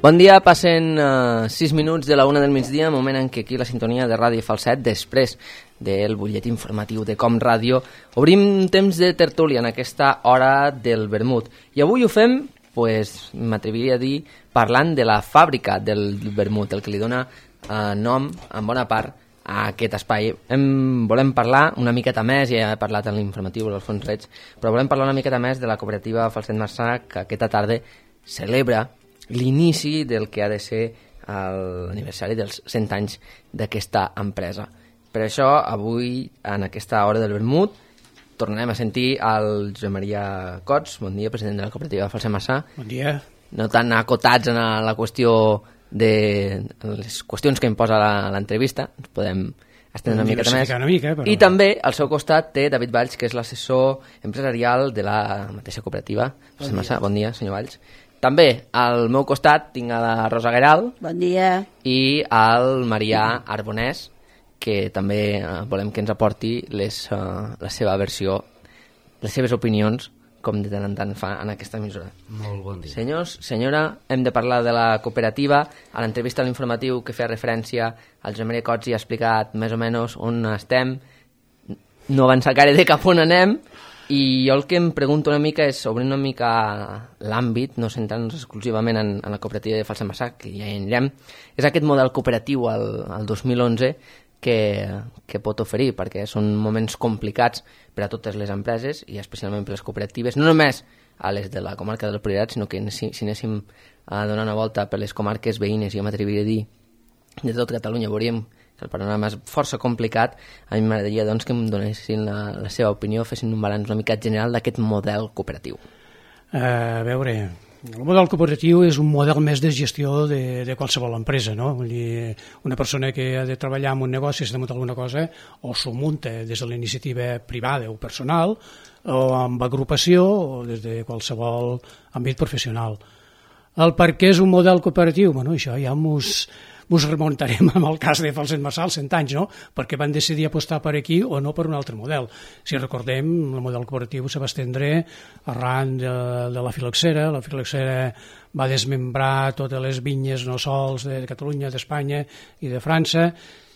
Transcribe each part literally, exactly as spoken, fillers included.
Bon dia, passen uh, sis minuts de la una del migdia, moment en què aquí la sintonia de Ràdio Falset, després del butlletí informatiu de Com Ràdio, obrim temps de tertúlia en aquesta hora del vermut. I avui ho fem, pues, m'atreviria a dir, parlant de la fàbrica del vermut, el que li dona uh, nom, en bona part, a aquest espai. Hem, volem parlar una miqueta més, ja he parlat en l'informatiu d'Alfons Reig, però volem parlar una miqueta més de la cooperativa Falset Marçà, que aquesta tarda celebra l'inici del que ha de ser l'aniversari dels cent anys d'aquesta empresa. Per això, avui, en aquesta hora del vermut, tornarem a sentir el Josep Maria Cots, bon dia, president de la cooperativa Falset Marçà. Bon dia. No tan acotats en la qüestió de les qüestions que imposa l'entrevista, ens podem estendre una miqueta més. Una mica, però... I també al seu costat té David Valls, que és l'assessor empresarial de la mateixa cooperativa Falset Marçà. Bon dia, senyor Valls. També al meu costat tinc a la Rosa Gueral. Bon dia. I al Marià Arbonès, que també eh, volem que ens aporti les, uh, la seva versió, les seves opinions, com de tant en tant fa en aquesta emissora. Molt bon dia. Senyors, senyora, hem de parlar de la cooperativa. A l'entrevista a l'informatiu que feia referència al Josep Maria Cots i ha explicat més o menys on estem. No avança gaire de cap on anem. I jo el que em pregunto una mica és, obrir una mica l'àmbit, no centrant-nos exclusivament en, en la cooperativa de Falset Marçà, que ja hi anirem, és aquest model cooperatiu al, al dos mil onze que, que pot oferir, perquè són moments complicats per a totes les empreses i especialment per les cooperatives, no només a les de la comarca del Priorat, sinó que si, si anéssim a donar una volta per les comarques veïnes, jo m'atreviria a dir, de tot Catalunya, veuríem que el panorama és força complicat. A mi m'agradaria doncs, que em donessin la, la seva opinió, fessin un balanç una mica general d'aquest model cooperatiu. Uh, a veure, el model cooperatiu és un model més de gestió de, de qualsevol empresa, no? Vull dir, una persona que ha de treballar en un negoci, si ha de muntar alguna cosa, o s'ho munta des de la iniciativa privada o personal, o amb agrupació, o des de qualsevol àmbit professional. El per què és un model cooperatiu? Bueno, això ja mos... Ens remuntarem amb el cas de Falset Marçà als cent anys, no? Perquè van decidir apostar per aquí o no per un altre model. Si recordem, el model cooperatiu se va estendre arran de, de la filoxera. La filoxera va desmembrar totes les vinyes no sols de Catalunya, d'Espanya i de França,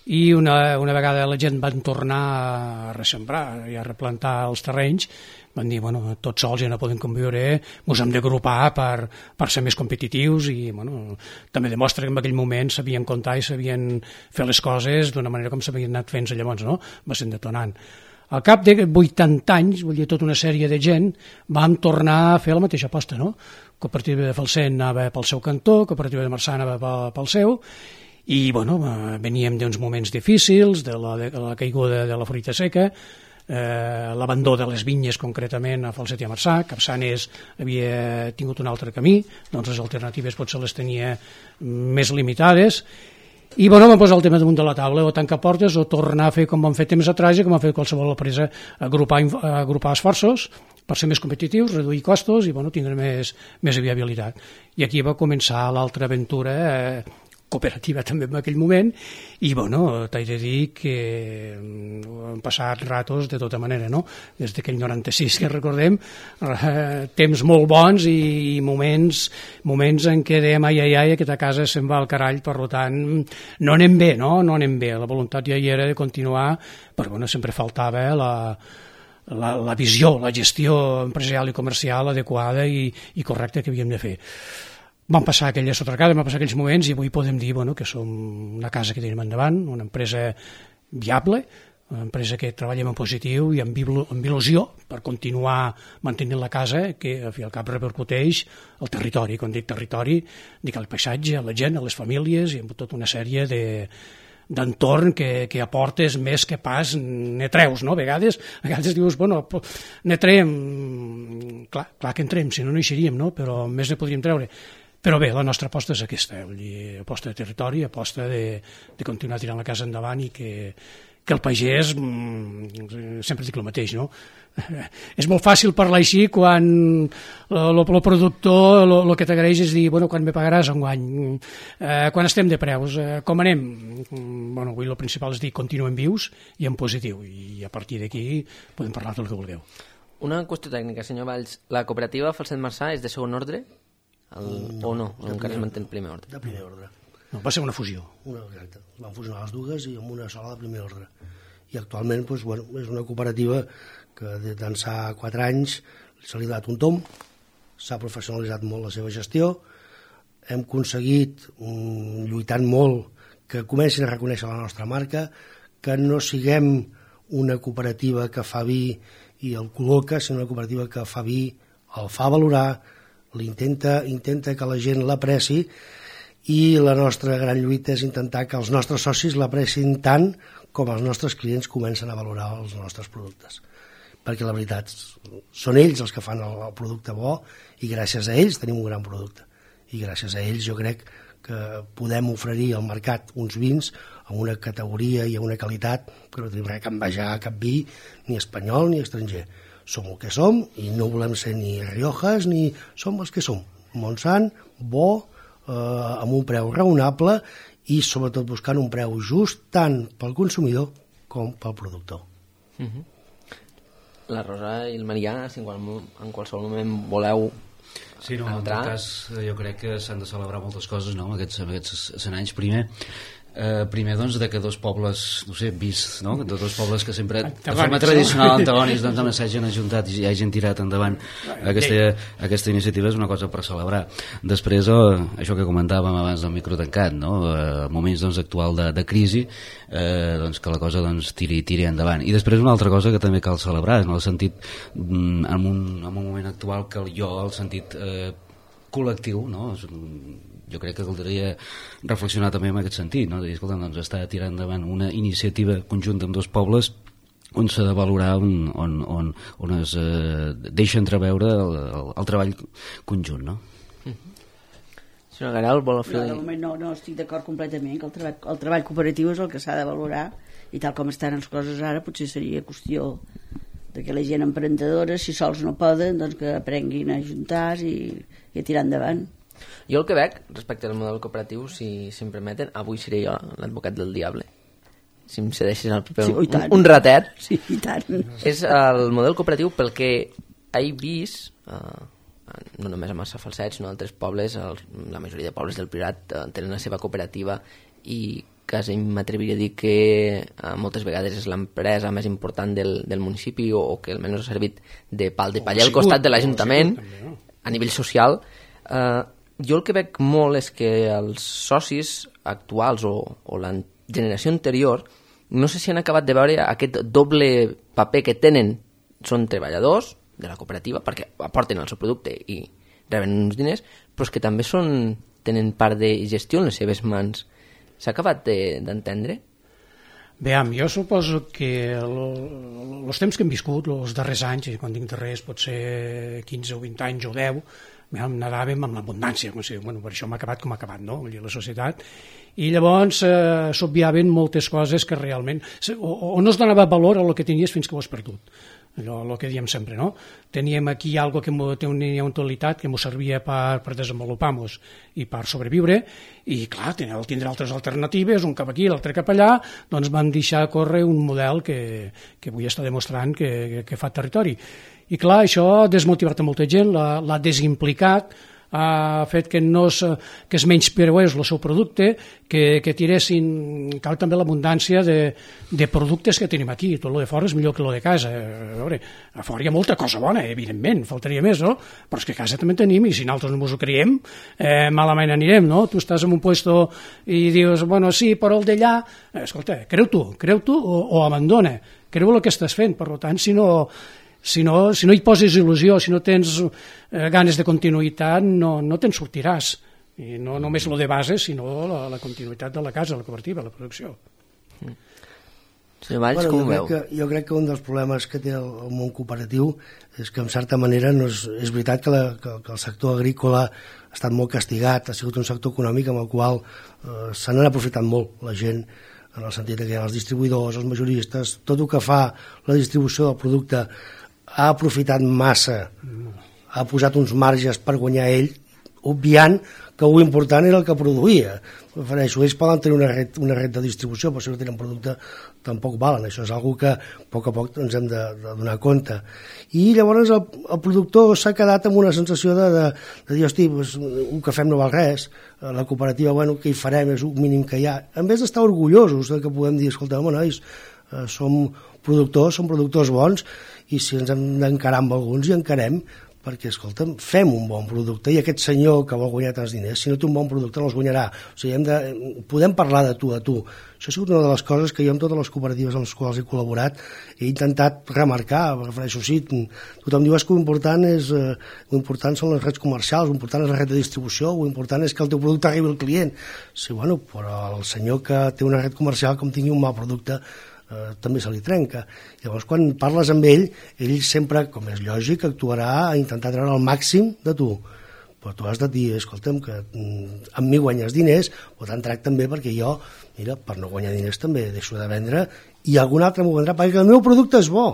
i una, una vegada la gent van tornar a ressembrar i a replantar els terrenys, van dir, bueno, tots sols ja no podem conviure, ens hem d'agrupar per, per ser més competitius i, bueno, també demostra que en aquell moment sabien comptar i sabien fer les coses d'una manera com s'havien anat fent llavors, no? Va ser detonant. Al cap de vuitanta anys, vull dir, tota una sèrie de gent, vam tornar a fer la mateixa aposta, no? Cooperativa de Falset anava pel seu cantó, Cooperativa de Marçà anava pel seu, i, bueno, veníem d'uns moments difícils, de la, de la caiguda de la fruita seca, Eh, l'abandó de les vinyes concretament a Falset i a Marçà. Capçanes havia tingut un altre camí, doncs les alternatives potser les tenia més limitades i bueno, vam posar el tema damunt de la taula, o tancar portes o tornar a fer com vam fer temps atrás i com ha fet qualsevol empresa, agrupar, agrupar esforços per ser més competitius, reduir costos i bueno, tindre més, més viabilitat. I aquí va començar l'altra aventura eh, cooperativa també en aquell moment i bueno, t'haig de dir que han passat ratos de tota manera, no? Des d'aquell noranta-sis que recordem, eh, temps molt bons i moments, moments en què dèiem ai ai ai, aquesta casa se'n va al carall, per tant no anem bé, no? No anem bé, la voluntat ja hi era de continuar, però bueno, sempre faltava la La, la visió, la gestió empresarial i comercial adequada i, i correcta que havíem de fer. Van passar aquelles sotracades, van passar aquells moments i avui podem dir bueno, que som una casa que tenim endavant, una empresa viable, una empresa que treballem en positiu i amb, amb il·lusió per continuar mantenint la casa que al fi al cap repercuteix al territori. Quan dic territori, dic al paisatge, a la gent, a les famílies i amb tota una sèrie de d'entorn que, que aportes més que pas ne treus, no? A vegades, a vegades dius, bueno, ne traiem, clar, clar que en traiem, si no no hi seríem, no? Però més ne podríem treure. Però bé, la nostra aposta és aquesta, vull dir, aposta de territori, aposta de, de continuar tirant la casa endavant i que, que el pagès, sempre dic el mateix, no? És molt fàcil parlar així quan el productor el que t'agraeix és dir, bueno, quan me pagaràs enguany, eh, quan estem de preus, eh, com anem? Bueno, avui el principal és dir continuem vius i en positiu, i a partir d'aquí podem parlar del que vulgueu. Una qüestió tècnica, senyor Valls. La cooperativa Falset Marçà és de segon ordre? El, no, o no? O encara es manté en primer ordre? De primer ordre. No, va ser una fusió. Una, exacte. Es van fusionar les dues i amb una sola de primer ordre. I actualment doncs, bueno, és una cooperativa que d'ençà quatre anys se li ha dat un tom, s'ha professionalitzat molt la seva gestió, hem aconseguit, um, lluitant molt, que comencin a reconèixer la nostra marca, que no siguem una cooperativa que fa vi i el col·loca, sinó una cooperativa que fa vi, el fa valorar, l'intenta intenta que la gent l'apreci, i la nostra gran lluita és intentar que els nostres socis l'aprecin tant com els nostres clients comencen a valorar els nostres productes. Perquè la veritat, són ells els que fan el, el producte bo i gràcies a ells tenim un gran producte. I gràcies a ells jo crec que podem oferir al mercat uns vins amb una categoria i una qualitat que no tenim res a envejar a cap vi, ni espanyol ni estranger. Som el que som i no volem ser ni Riojas ni som els que som. Montsant, bo, eh, amb un preu raonable i sobretot buscant un preu just tant pel consumidor com pel productor. Uh-huh. La Rosa i el Marià, si en, qual, en qualsevol moment voleu Sí, no, en tot cas jo crec que s'han de celebrar moltes coses, no?, aquests, aquests cent anys. Primer, eh, primer doncs, de que dos pobles, no sé, vist, no?, de dos pobles que sempre, de forma tradicional, antagònics, doncs, no s'hagin ajuntat i hagin tirat endavant aquesta, aquesta iniciativa és una cosa per celebrar. Després, eh, això que comentàvem abans del micro tancat, no?, eh, moments doncs, actual de, de crisi, eh, doncs, que la cosa doncs, tiri, tiri endavant. I després una altra cosa que també cal celebrar, en el sentit, en un, en un moment actual que jo, el sentit eh, col·lectiu, no?, jo crec que caldria reflexionar també en aquest sentit, no?, de dir, escolta, doncs està tirant endavant una iniciativa conjunta amb dos pobles on s'ha de valorar, on, on, on, on es eh, deixa entreveure el, el, el treball conjunt, no? Senyor Garal, vol fer... No, de moment no, no estic d'acord completament, que el treball, el treball cooperatiu és el que s'ha de valorar, i tal com estan les coses ara potser seria qüestió de que la gent emprendedora, si sols no poden, doncs que aprenguin a ajuntar-se i, i a tirar endavant. Jo el que veig respecte al model cooperatiu, si, si em permeten, avui seré jo l'advocat del diable, si em cedeixes el paper, sí, un, un ratet. Sí, i tant. És el model cooperatiu pel que he vist, eh, no només a Massa Falset, sinó a altres pobles, el, la majoria de pobles del Priorat eh, tenen la seva cooperativa i quasi m'atreviria a dir que eh, moltes vegades és l'empresa més important del, del municipi o, o que almenys ha servit de pal de paller al costat de l'Ajuntament a nivell social. Eh, jo el que veig molt és que els socis actuals o, o la generació anterior no sé si han acabat de veure aquest doble paper que tenen, són treballadors de la cooperativa perquè aporten el seu producte i reben uns diners, però és que també són, tenen part de gestió en les seves mans. S'ha acabat d'entendre? Veam, jo suposo que els temps que hem viscut, els darrers anys, i quan dic darrers pot ser quinze o vint anys o deu, nadàvem amb l'abundància, bueno, per això m'ha acabat com ha acabat, no?, la societat, i llavors eh, s'obviaven moltes coses que realment, o, o no es donava valor a el que tenies fins que ho has perdut. Allò, el que diem sempre, no? Teníem aquí algo que tenia una utilitat que ens servia per, per desenvolupar-nos i per sobreviure, i clar, al tindre altres alternatives, un cap aquí, l'altre cap allà, doncs van deixar córrer un model que, que avui està demostrant que, que, que fa territori. I clar, això ha desmotivat a molta gent, l'ha desimplicat, ha fet que, no es, que es menyspreés el seu producte, que, que tiressin, cal també l'abundància de, de productes que tenim aquí. Tot el de fora és millor que el de casa. A veure, a fora hi ha molta cosa bona, evidentment, faltaria més, no? Però és que a casa també tenim, i si nosaltres no ens ho creiem, eh, malament anirem, no? Tu estàs en un puesto i dius, bueno, sí, però el d'allà, eh, escolta, creu tu, creu tu o, o abandona, creu el que estàs fent, per tant, si no... Si no, si no hi poses il·lusió, si no tens eh, ganes de continuïtat, no, no te'n sortiràs. I no només lo de base, sinó la, la continuïtat de la casa, la cooperativa, la producció. Mm. Senyor Valls, bueno, com ho veu? Que, jo crec que un dels problemes que té el, el món cooperatiu és que, en certa manera, no és, és veritat que, la, que, que el sector agrícola ha estat molt castigat, ha sigut un sector econòmic amb el qual eh, se n'han aprofitat molt la gent, en el sentit que hi ha els distribuïdors, els majoristes, tot el que fa la distribució del producte ha aprofitat massa, ha posat uns marges per guanyar ell, obviant que ho important era el que produïa. Prefereixo, ells poden tenir una red, una red de distribució, però si no tenen producte tampoc valen. Això és una cosa que a poc a poc ens hem de, de donar compte. I llavors el, el productor s'ha quedat amb una sensació de, de, de dir, hosti, pues, un que fem no val res, la cooperativa, bueno, què hi farem, és un mínim que hi ha. En vez d'estar orgullosos de que podem dir, escolta, home, nois, eh, som productors, som productors bons, i si ens hem d'encarar amb alguns, hi encarem, perquè, escolta'm, fem un bon producte i aquest senyor que vol guanyar tants diners, si no té un bon producte no els guanyarà. O sigui, hem de, podem parlar de tu a tu. Això ha sigut una de les coses que jo amb totes les cooperatives amb les quals he col·laborat he intentat remarcar, refereixo, sí, tothom diu que l'important és, eh, l'important són les redes comercials, l'important és la red de distribució, l'important és que el teu producte arribi al client. Sí, bueno, però el senyor que té una red comercial, com tingui un mal producte, Eh, també se li trenca. Llavors, quan parles amb ell, ell sempre, com és lògic, actuarà a intentar treure el màxim de tu. Però tu has de dir, escolta'm, que mm, amb mi guanyes diners, però te'n tracte també perquè jo, mira, per no guanyar diners també deixo de vendre i algun altre m'ho vendrà perquè el meu producte és bo.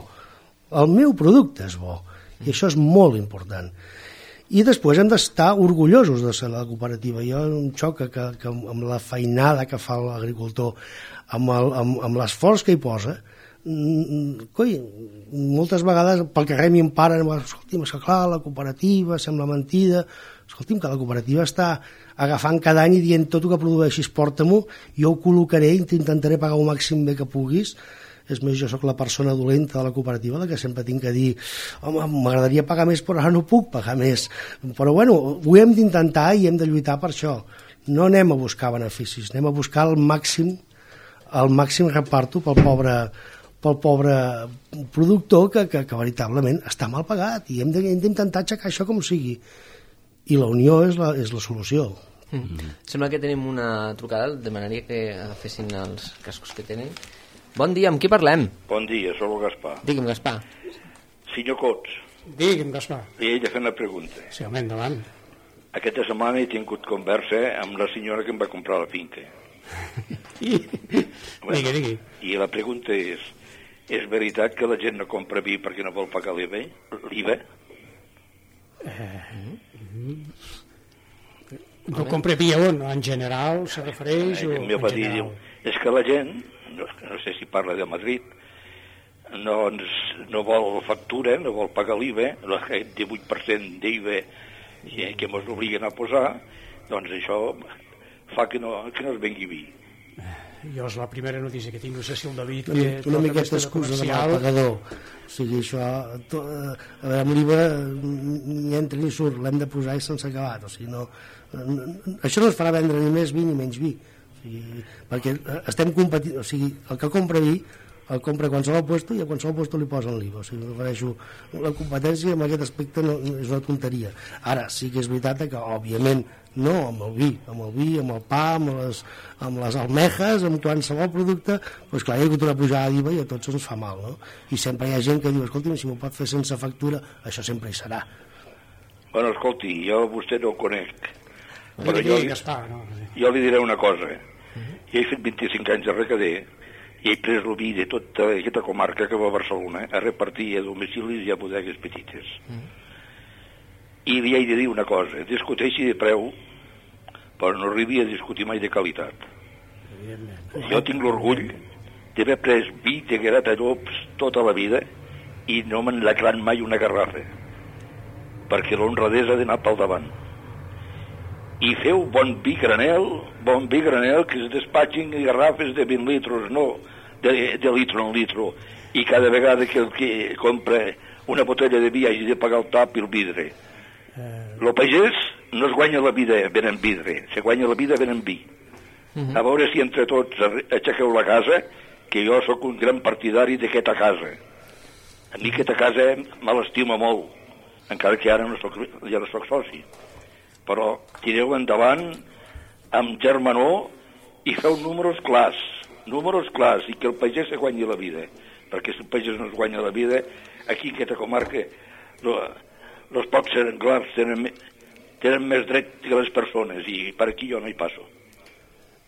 El meu producte és bo. I això és molt important. I després hem d'estar orgullosos de ser la cooperativa. Jo em xoca que, que amb la feinada que fa l'agricultor, amb, el, amb, amb l'esforç que hi posa, coi, moltes vegades pel carrer m'hi emparen, escolti'm, és que clar, la cooperativa sembla mentida, escolti'm, que la cooperativa està agafant cada any i dient tot el que produeixis porta-m'ho, jo ho col·locaré i t'intentaré pagar el màxim bé que puguis. És més, jo sóc la persona dolenta de la cooperativa, la que sempre tinc que dir, home, m'agradaria pagar més, però ara no puc pagar més. Però bueno, ho hem d'intentar i hem de lluitar per això. No anem a buscar beneficis, anem a buscar el màxim, el màxim reparto pel pobre, pel pobre productor que, que, que veritablement està mal pagat i hem d'intentar aixecar això com sigui. I la unió és la, és la solució. Mm. Sembla que tenim una trucada, demanaria que fessin els cascos que tenen. Bon dia, amb qui parlem? Bon dia, soc el Gaspar. Digue'm, Gaspar. Senyor Cots. Digue'm, Gaspar. Li he de fer una pregunta. Sí, home, endavant. Aquesta setmana he tingut conversa amb la senyora que em va comprar la finca. I... Bueno, digui, digui. I la pregunta és, és veritat que la gent no compra vi perquè no vol pagar l'I V A? L'I V A? Eh, no compra vi on? En general se refereix? Eh, o en va dir, diu, és que la gent, no, no sé si parla de Madrid, no, no vol factura, no vol pagar l'I V A, el divuit per cent d'I V A que ens obliguen a posar, doncs això fa que no, que no es vengui vi. Jo és la primera notícia que tinc, no sé si el David... Una, una miqueta excusa de mal pagador. O sigui, això, to, a veure, amb l'I V A ni entra ni surt, l'hem de posar i sense acabat. O sigui, no, no, això no es farà vendre ni més vi ni menys vi. O sigui, perquè estem competint, o sigui, el que compra vi el compra a qualsevol puesto i a qualsevol puesto li posen l'I V A. O sigui, refereixo, la competència en aquest aspecte no, és una tonteria. Ara, sí que és veritat que, òbviament, no amb el vi, amb el vi, amb el pa, amb les, amb les almejes, amb qualsevol producte, doncs clar, hi ha hagut una pujada d'I V A i a tots ens fa mal, no? I sempre hi ha gent que diu, escolti, si m'ho pot fer sense factura, això sempre hi serà. Bueno, escolti, jo a vostè no el conec, però Digui, jo, Gaspar, no? jo li diré una cosa. Jo he fet vint-i-cinc anys de recader i he pres el vi de tota aquesta comarca que va a Barcelona a repartir a domicilis i a bodegues petites. I li he de dir una cosa, discuteixi de preu, però no arribi a discutir mai de qualitat. Jo tinc l'orgull d'haver pres vi de Gratallops tota la vida i no me'n lacran mai una garrafa, perquè l'honradesa ha d'anar pel davant. I feu bon vi granel, bon vi granel, que es despatxin garrafes de vint litres, no de, de litro en litro, i cada vegada que el que compra una botella de vi hagi de pagar el tap i el vidre. El pagès no es guanya la vida venent vidre, se guanya la vida venent vi. Uh-huh. A veure si entre tots aixequeu la casa, que jo sóc un gran partidari d'aquesta casa. A mi aquesta casa me l'estima molt, encara que ara no soc, ja no soc soci. Però tireu endavant amb germanor i feu números clars, números clars, i que el pagès se guanyi la vida. Perquè si el pagès no es guanya la vida, aquí en aquesta comarca no, els pocs senglars tenen, tenen més dret que les persones, i per aquí jo no hi passo.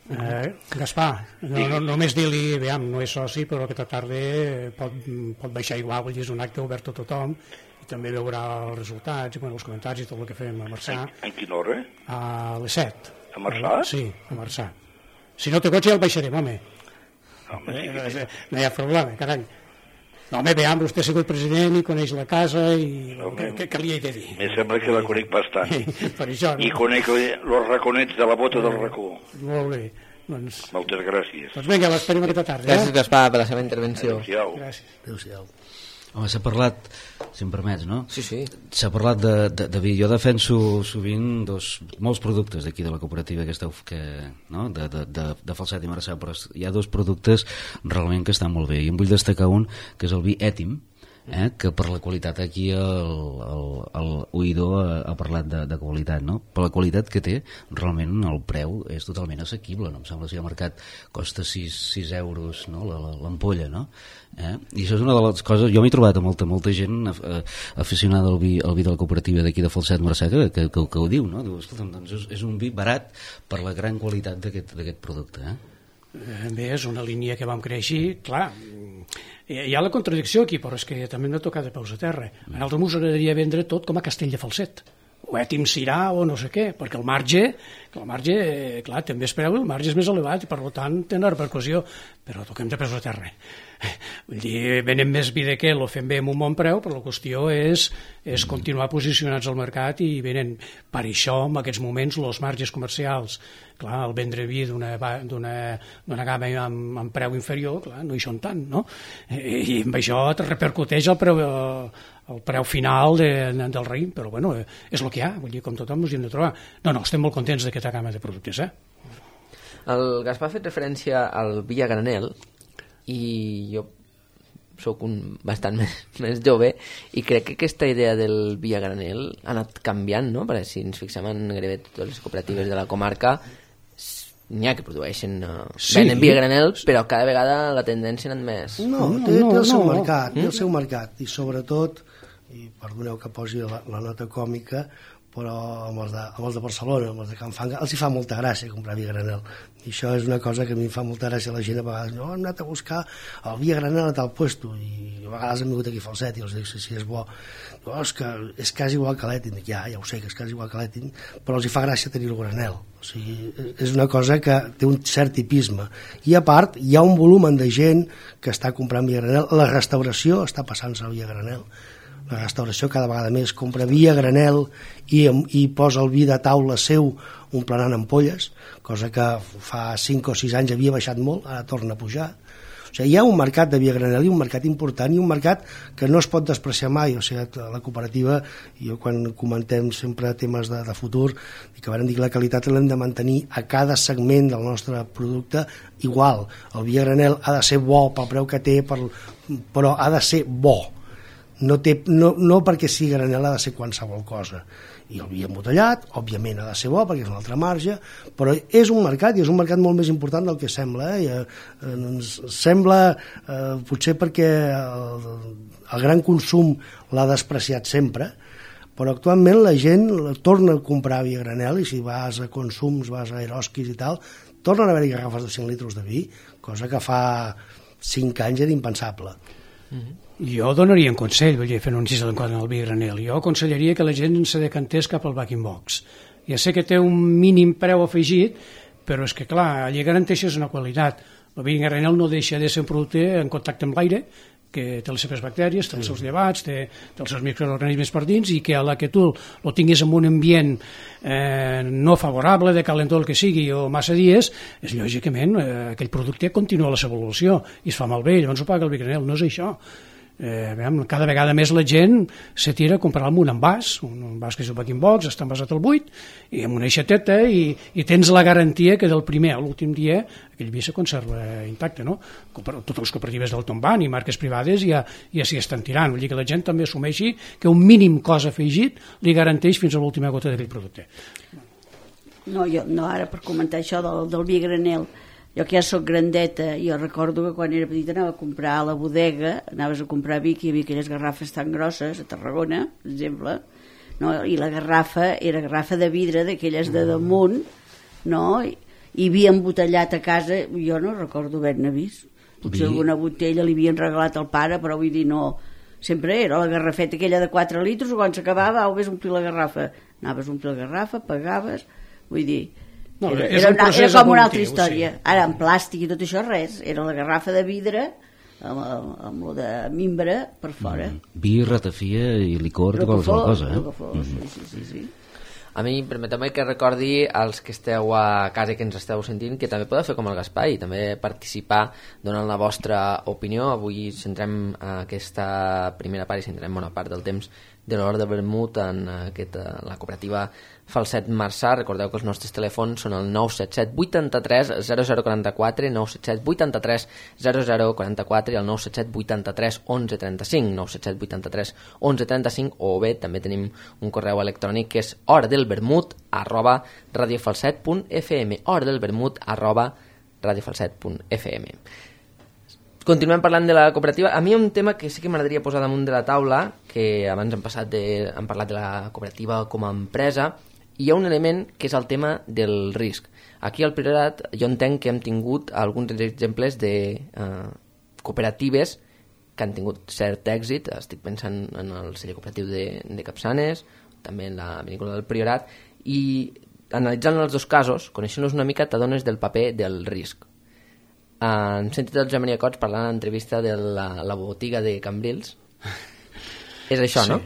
Eh, Gaspar, no, no, només dir-li, veiem, no és soci, però aquesta tarda pot, pot baixar igual, vull dir, és un acte obert a tothom, i també veurà els resultats, i bueno, els comentaris i tot el que fem a Marçà. En, en quina hora? A les set. A Marçà? Sí, a Marçà. Si no té cotxe ja el baixarem, home. Home, sí eh, que... no hi ha problema, carai. No, home, veiem, vostè ha sigut president i coneix la casa i Home, què, què li he de dir? Me sembla que la conec bastant. Per això, no? I conec els raconets de la bota del racó. Molt bé. Doncs, Moltes gràcies. doncs vinga, l'esperem aquesta tarda. Gràcies, Eh? Gaspar, per la seva intervenció. Adéu-siau. Gràcies. Adéu-siau. Home, s'ha parlat, si em permets, no? Sí, sí. S'ha parlat de, de, de vi. Jo defenso sovint dos, molts productes d'aquí de la cooperativa que esteu, que, no? de, de, de, de Falset i Marçà, però hi ha dos productes realment que estan molt bé, i en vull destacar un, que és el vi Ètim, eh? que per la qualitat aquí el, el, el oïdor ha, ha parlat de, de qualitat, no? Per la qualitat que té, realment el preu és totalment assequible, no? Em sembla que si al mercat costa sis euros, no? L'ampolla, no? Eh? I això és una de les coses, jo m'he trobat a molta, molta gent eh, aficionada al vi, al vi de la cooperativa d'aquí de Falset Marçà que, que, que, que ho diu, no? Diu, escolta'm, doncs és, és un vi barat per la gran qualitat d'aquest producte, eh? Bé, és una línia que vam créixer, clar, hi ha la contradicció aquí, però és que també hem de tocar de peus a terra. A nosaltres ens agradaria vendre tot com a Castell de Falset, o Ètim Sirà o no sé què, perquè el marge, el marge, clar, també es preu, el marge és més elevat i per tant té una repercussió, però toquem de peus a terra. Vull dir, venem més vi de què, lo fem bé amb un bon preu, però la qüestió és, és continuar posicionats al mercat i venen, per això, en aquests moments, els marges comercials, clar, el vendre vi d'una gamma amb, amb preu inferior, clar, no hi són tant, no? I amb això et repercuteix el preu, el preu final de, del raïm, però bueno, és el que hi ha, vull dir, com tothom ens hi hem de trobar. No, no, estem molt contents d'aquesta gamma de productes, eh? El Gaspar ha fet referència al vi a granel, i jo sóc un bastant més, més jove i crec que aquesta idea del vi a granel ha anat canviant, no? Perquè si ens fixem en gairebé totes les cooperatives de la comarca n'hi ha que produeixen uh, sí. venen vi a granel, però cada vegada la tendència ha anat més. No, té, té el seu mercat, té el seu mercat, i sobretot, i perdoneu que posi la, la nota còmica, però amb els, de, amb els de Barcelona, amb els de Can Fanga, els hi fa molta gràcia comprar vi a granel. I això és una cosa que a mi em fa molta gràcia. La gent a vegades, no, hem anat a buscar el vi a granel a tal puesto, i a vegades hem vingut aquí a Falset i els dic, si sí, sí, és bo. No, és que és quasi igual que l'Ètim. Dic, ja, ja ho sé, que és quasi igual que l'Ètim, però els hi fa gràcia tenir el granel. O sigui, és una cosa que té un cert tipisme. I a part, hi ha un volum de gent que està comprant vi a granel. La restauració està passant-se al vi a granel. La restauració cada vegada més compra vi a granel i, i posa el vi de taula seu omplenant ampolles, cosa que fa cinc o sis anys havia baixat molt, ara torna a pujar. O sigui, hi ha un mercat de vi a granel i un mercat important i un mercat que no es pot despreciar mai. O sigui, la cooperativa, jo quan comentem sempre temes de, de futur, que van dir que la qualitat l'hem de mantenir a cada segment del nostre producte igual. El vi a granel ha de ser bo pel preu que té, per, però ha de ser bo. No, té, no, no perquè sigui granel ha de ser qualsevol cosa. I el vi embotellat, òbviament ha de ser bo perquè és un altre marge, però és un mercat i és un mercat molt més important del que sembla. Eh? I, eh, ens sembla, eh, potser perquè el, el gran consum l'ha despreciat sempre, però actualment la gent torna a comprar vi a granel, i si vas a consums, vas a Eroskis i tal, tornen a haver-hi garrafes de cinc litres de vi, cosa que fa cinc anys era impensable. Mm-hmm. Jo donaria un consell, vull dir, fent un incís quant al vi granel. Jo aconsellaria que la gent se decantés cap al back in box. Ja sé que té un mínim preu afegit, però és que, clar, allà garanteixes una qualitat. El vi granel no deixa de ser un producte en contacte amb l'aire, que té les seves bactèries, té els seus llevats, té, té els seus microorganismes per dins, i que a la que tu el tinguis en un ambient eh, no favorable, de calentor el que sigui, o massa dies, és lògicament eh, aquell producte continua la seva evolució i es fa malbé, llavors ho paga el vi granel. No és això. Eh, veiem, cada vegada més la gent se tira a comprar un envàs, un envàs que és el back in box, està envasat al buit i amb una aixeteta, i, i tens la garantia que del primer a l'últim dia aquell vi se conserva intacte, no? Totes les cooperatives del Tomban i marques privades ja, ja s'hi estan tirant, vull dir que la gent també assumeixi que un mínim cost afegit li garanteix fins a l'última gota d'aquell producte. No, jo, no, ara per comentar això del, del vi granel, jo que ja soc grandeta, jo recordo que quan era petita anava a comprar a la bodega, anaves a comprar vi, que hi havia aquelles garrafes tan grosses, a Tarragona, per exemple, no? I la garrafa era garrafa de vidre, d'aquelles de damunt, no? I, i havia embotellat a casa, jo no recordo haver-ne vist. Potser vi. Alguna botella li havien regalat al pare, però vull dir, no... Sempre era la garrafeta aquella de quatre litres, o quan s'acabava, au, vés omplir la garrafa. Anaves a omplir la garrafa, pagaves... Vull dir... No, era, era, era, una, era com una altra història. Sí. Ara, en plàstic i tot això, res. Era la garrafa de vidre, amb, amb lo de mimbre per fora. Mm. Vi, ratafia i licor, qualsevol cosa, eh? Mm. Sí, sí, sí, sí. A mi, permeteu-me que recordi als que esteu a casa i que ens esteu sentint que també podeu fer com el Gaspar i també participar donant la vostra opinió. Avui centrem aquesta primera part i centrem bona part del temps de l'hora de vermut en aquesta, la cooperativa Falset Marçà. Recordeu que els nostres telèfons són el nou set set vuitanta-tres zero zero quaranta-quatre, nou set set vuitanta-tres zero zero quaranta-quatre i el nou set set vuitanta-tres onze trenta-cinc, nou set set vuitanta-tres onze trenta-cinc, o bé també tenim un correu electrònic que és horadelvermut arroba radiofalset punt f m, horadelvermut arroba radiofalset punt f m. Continuem parlant de la cooperativa. A mi un tema que sí que m'agradaria posar damunt de la taula, que abans hem, passat de, hem parlat de la cooperativa com a empresa, i hi ha un element que és el tema del risc. Aquí al Priorat jo entenc que hem tingut alguns exemples de eh, cooperatives que han tingut cert èxit. Estic pensant en el celler cooperatiu de, de Capçanes, també en la vinícola del Priorat, i analitzant els dos casos, coneixent-los una mica, t'adones del paper del risc. Uh, hem sentit el Joan Maria Cots parlant en l'entrevista de la, la botiga de Cambrils. És això, sí. No?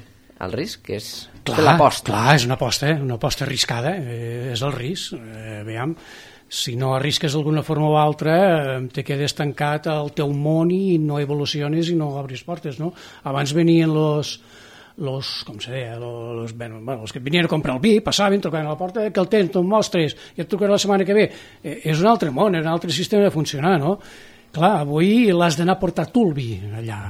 El risc, que és clar, l'aposta. Clar, és una aposta, eh? Una aposta arriscada, eh, és el risc. Eh, veiem, si no arrisques d'alguna forma o altra, eh, te quedes tancat al teu món i no evoluciones i no obris portes, no? Abans venien los... los, com se deia, los, bueno, els que venien a comprar el vi, passaven, trucaven a la porta, que el tens, te'n mostres, i et trucaré la setmana que ve. Eh, és un altre món, és un altre sistema de funcionar, no? Clar, avui l'has d'anar a portar tu el vi allà,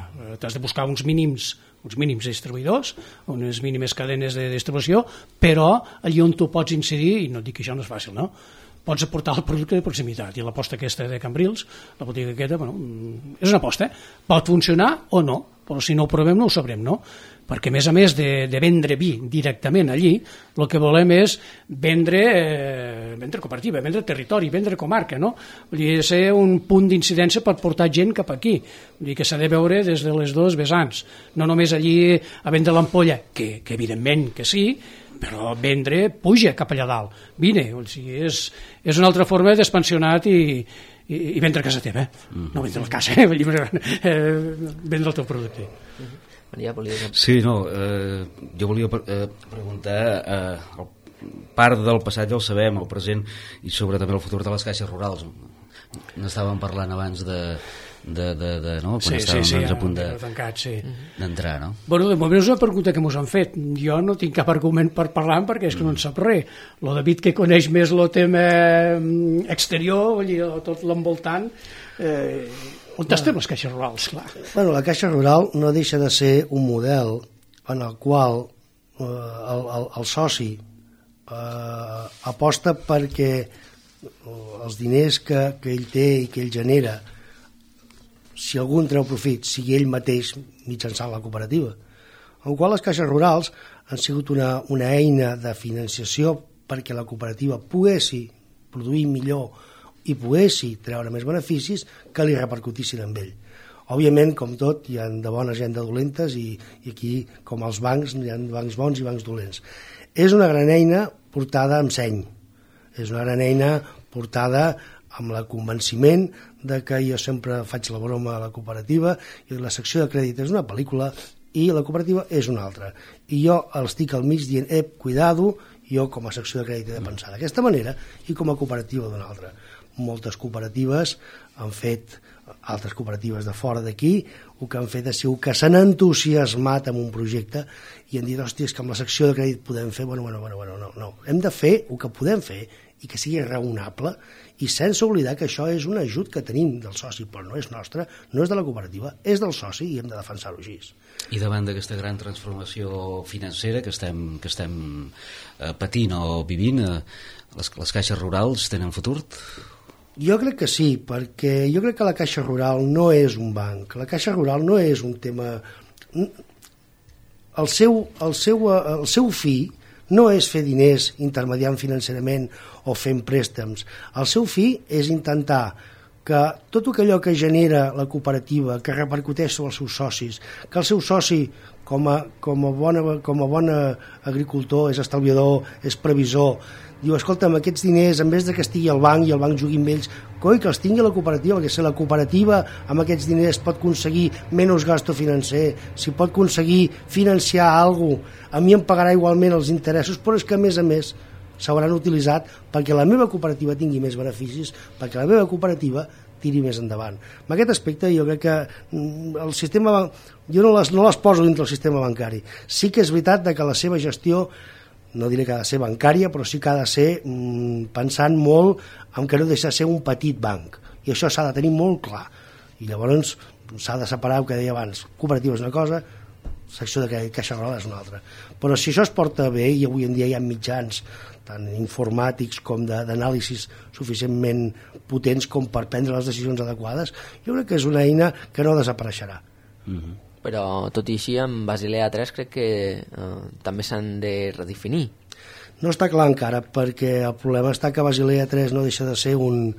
t'has de buscar uns mínims, uns mínims distribuïdors, unes mínimes cadenes de distribució, però allí on tu pots incidir, i no et dic que això no és fàcil, no? Pots aportar el producte de proximitat, i l'aposta aquesta de Cambrils, la botiga aquesta, bueno, és una aposta, pot funcionar o no, però si no ho provem no ho sabrem, no? Perquè a més a més de, de vendre vi directament allí, el que volem és vendre, eh, vendre cooperativa, vendre territori, vendre comarca, no? Vull dir, ser un punt d'incidència per portar gent cap aquí. Vull dir que s'ha de veure des de les dues vessants, no només allí a vendre l'ampolla, que, que evidentment que sí, però vendre puja cap allà dalt, vine, o sigui, és, és una altra forma d'expansionat i, i, i vendre a casa teva, eh? Mm-hmm. No vendre la casa, eh? Vull dir, eh, vendre el teu producte. Mm-hmm. Maria, volia... Sí, no, eh, jo volia eh, preguntar, eh, el, part del passat ja el sabem, el present i sobre també el futur de les caixes rurals. N'estàvem parlant abans de, de, de, de no? Quan sí, estàvem sí, sí, doncs, a punt de, tancat, sí. d'entrar, no? Bueno, de moment és una pregunta que mos han fet. Jo no tinc cap argument per parlar perquè és que no en sap res. Lo David, que coneix més el tema exterior, vull dir, tot l'envoltant, eh, on estem les caixes rurals, clar. Bueno, la caixa rural no deixa de ser un model en el qual eh, el, el, el soci eh, aposta perquè els diners que, que ell té i que ell genera, si algú en treu profit, sigui ell mateix mitjançant la cooperativa. En el qual les caixes rurals han sigut una, una eina de financiació perquè la cooperativa poguessi produir millor i poguessi treure més beneficis que li repercutissin amb ell. Òbviament, com tot, hi ha de bones i hi ha de dolentes i, i aquí, com els bancs, hi ha bancs bons i bancs dolents. És una gran eina portada amb seny. És una gran eina portada amb el convenciment de que jo sempre faig la broma a la cooperativa i la secció de crèdit és una pel·lícula i la cooperativa és una altra. I jo estic al mig dient, ep, cuidado, jo com a secció de crèdit he de pensar d'aquesta manera i com a cooperativa d'una altra. Moltes cooperatives han fet, altres cooperatives de fora d'aquí, el que han fet és que s'han entusiasmat amb un projecte i han dit, hòstia, és que amb la secció de crèdit podem fer, bueno, bueno, bueno, bueno no, no. Hem de fer el que podem fer i que sigui raonable i sense oblidar que això és un ajut que tenim del soci, però no és nostre, no és de la cooperativa, és del soci i hem de defensar-ho així. I davant d'aquesta gran transformació financera que estem, que estem eh, patint o vivint, eh, les, les caixes rurals tenen futur? Jo crec que sí, perquè jo crec que la Caixa Rural no és un banc. La Caixa Rural no és un tema... El seu, el seu, el seu fi no és fer diners intermediant financerament o fent préstecs. El seu fi és intentar que tot allò que genera la cooperativa, que repercuteix sobre els seus socis, que el seu soci, com a, com a, bona, com a bon agricultor, és estalviador, és previsor, diu, escolta'm, aquests diners, en vez de que estigui al banc i el banc jugui amb ells, coi, que els tingui la cooperativa, perquè si la cooperativa amb aquests diners pot aconseguir menys gasto financer, si pot aconseguir financiar alguna cosa, a mi em pagarà igualment els interessos, però és que a més a més s'hauran utilitzat perquè la meva cooperativa tingui més beneficis, perquè la meva cooperativa tiri més endavant. En aquest aspecte jo crec que el sistema, jo no les, no les poso dintre del sistema bancari. Sí que és veritat que la seva gestió, no diré que ha de ser bancària, però sí que ha de ser mmm, pensant molt en que no deixa de ser un petit banc. I això s'ha de tenir molt clar. I llavors s'ha de separar el que deia abans. Cooperativa és una cosa, secció de caixa rural és una altra. Però si això es porta bé, i avui en dia hi ha mitjans tant informàtics com d'anàlisis suficientment potents com per prendre les decisions adequades, jo crec que és una eina que no desapareixerà. Mm-hmm. Però tot i així, amb Basilea tres crec que eh, també s'han de redefinir. No està clar encara, perquè el problema està que Basilea tres no deixa de ser un,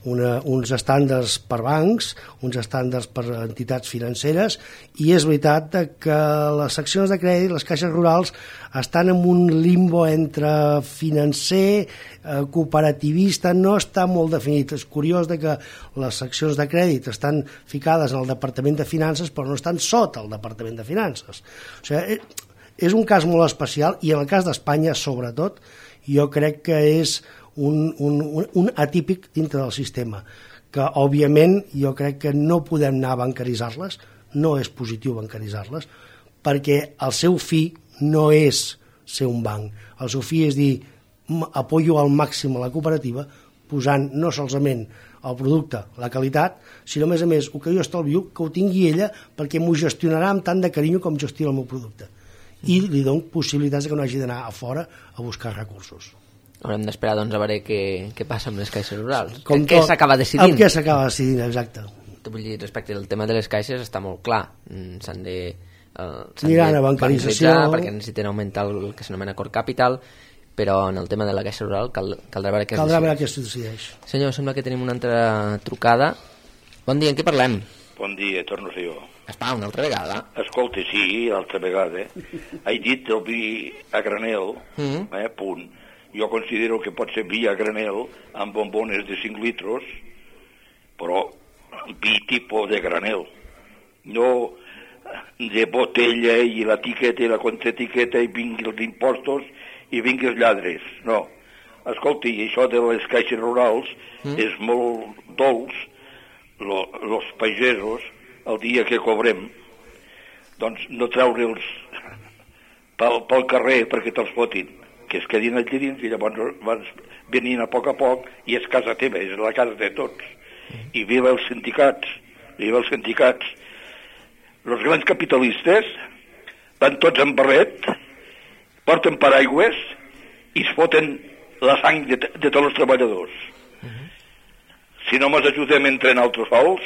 una, uns estàndards per bancs, uns estàndards per entitats financeres, i és veritat que les seccions de crèdit, les caixes rurals, estan en un limbo entre financer, eh, cooperativista, no està molt definit. És curiós de que les seccions de crèdit estan ficades en el Departament de Finances, però no estan sota el Departament de Finances. O sigui, és un cas molt especial, i en el cas d'Espanya, sobretot, jo crec que és un, un, un atípic dintre del sistema, que, òbviament, jo crec que no podem anar a bancaritzar-les, no és positiu bancaritzar-les, perquè el seu fi no és ser un banc. El seu fi és dir, apoyo al màxim a la cooperativa, posant no solament el producte, la qualitat, sinó a més a més, el que jo estalvio, que ho tingui ella, perquè m'ho gestionarà amb tant de carinyo com gestiona el meu producte. I li dono possibilitats que no hagi d'anar a fora a buscar recursos. Haurem d'esperar doncs a veure què, què passa amb les caixes rurals. Com què s'acaba decidint? Amb què s'acaba decidint, exacte. Vull dir, respecte al tema de les caixes està molt clar. S'han de... Uh, Aniran a bancarització perquè necessiten augmentar el que s'anomena core capital, però en el tema de la caixa rural cal, caldrà veure què es caldrà decideix. veure què es decideix. Senyor, sembla que tenim una altra trucada. Bon dia, en què parlem? Bon dia, torno a ser jo. Espa, una altra vegada? Escolta, sí, l'altra vegada. He dit el vi a granel, mm-hmm. eh, punt. Jo considero que pot ser vi a granel amb bombones de cinc litros, però vi tipus de granel. No de botella i l'etiqueta i la contraetiqueta i vingui els impostos i vingui els lladres. No. Escolta, i això de les caixes rurals mm. és molt dolç. Lo, los pagesos, el dia que cobrem, doncs no treure'ls pel, pel carrer perquè te'ls fotin, que es quedin allà dins i llavors van venint a poc a poc i és casa teva, és la casa de tots. I viva els sindicats, viva els sindicats. Els grans capitalistes van tots en barret, porten paraigües i es foten la sang de, de tots els treballadors. Si no mos ajudem entre altres sols,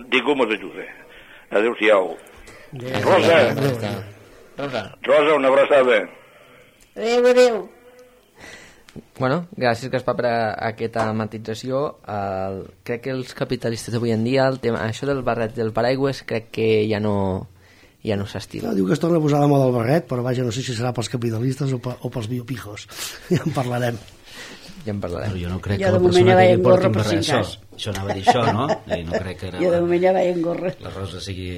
ningú mos ajuda. Adéu-siau. Rosa. Rosa. Rosa, una abraçada. Adéu, adéu. Bueno, gràcies, Gaspar, per a aquesta matització. El, crec que els capitalistes d'avui en dia, el tema, això del barret del paraigües, crec que ja no, ja no s'estila. No, diu que es torna a posar la moda del barret, però vaja, no sé si serà pels capitalistes o, pe, o pels biopijos. Ja en parlarem. Ja en parlarem. Però jo no crec jo que la persona que li porti un barret, això, això anava a dir això, no? I no crec que jo de moment ja vaig en gorra. La Rosa sigui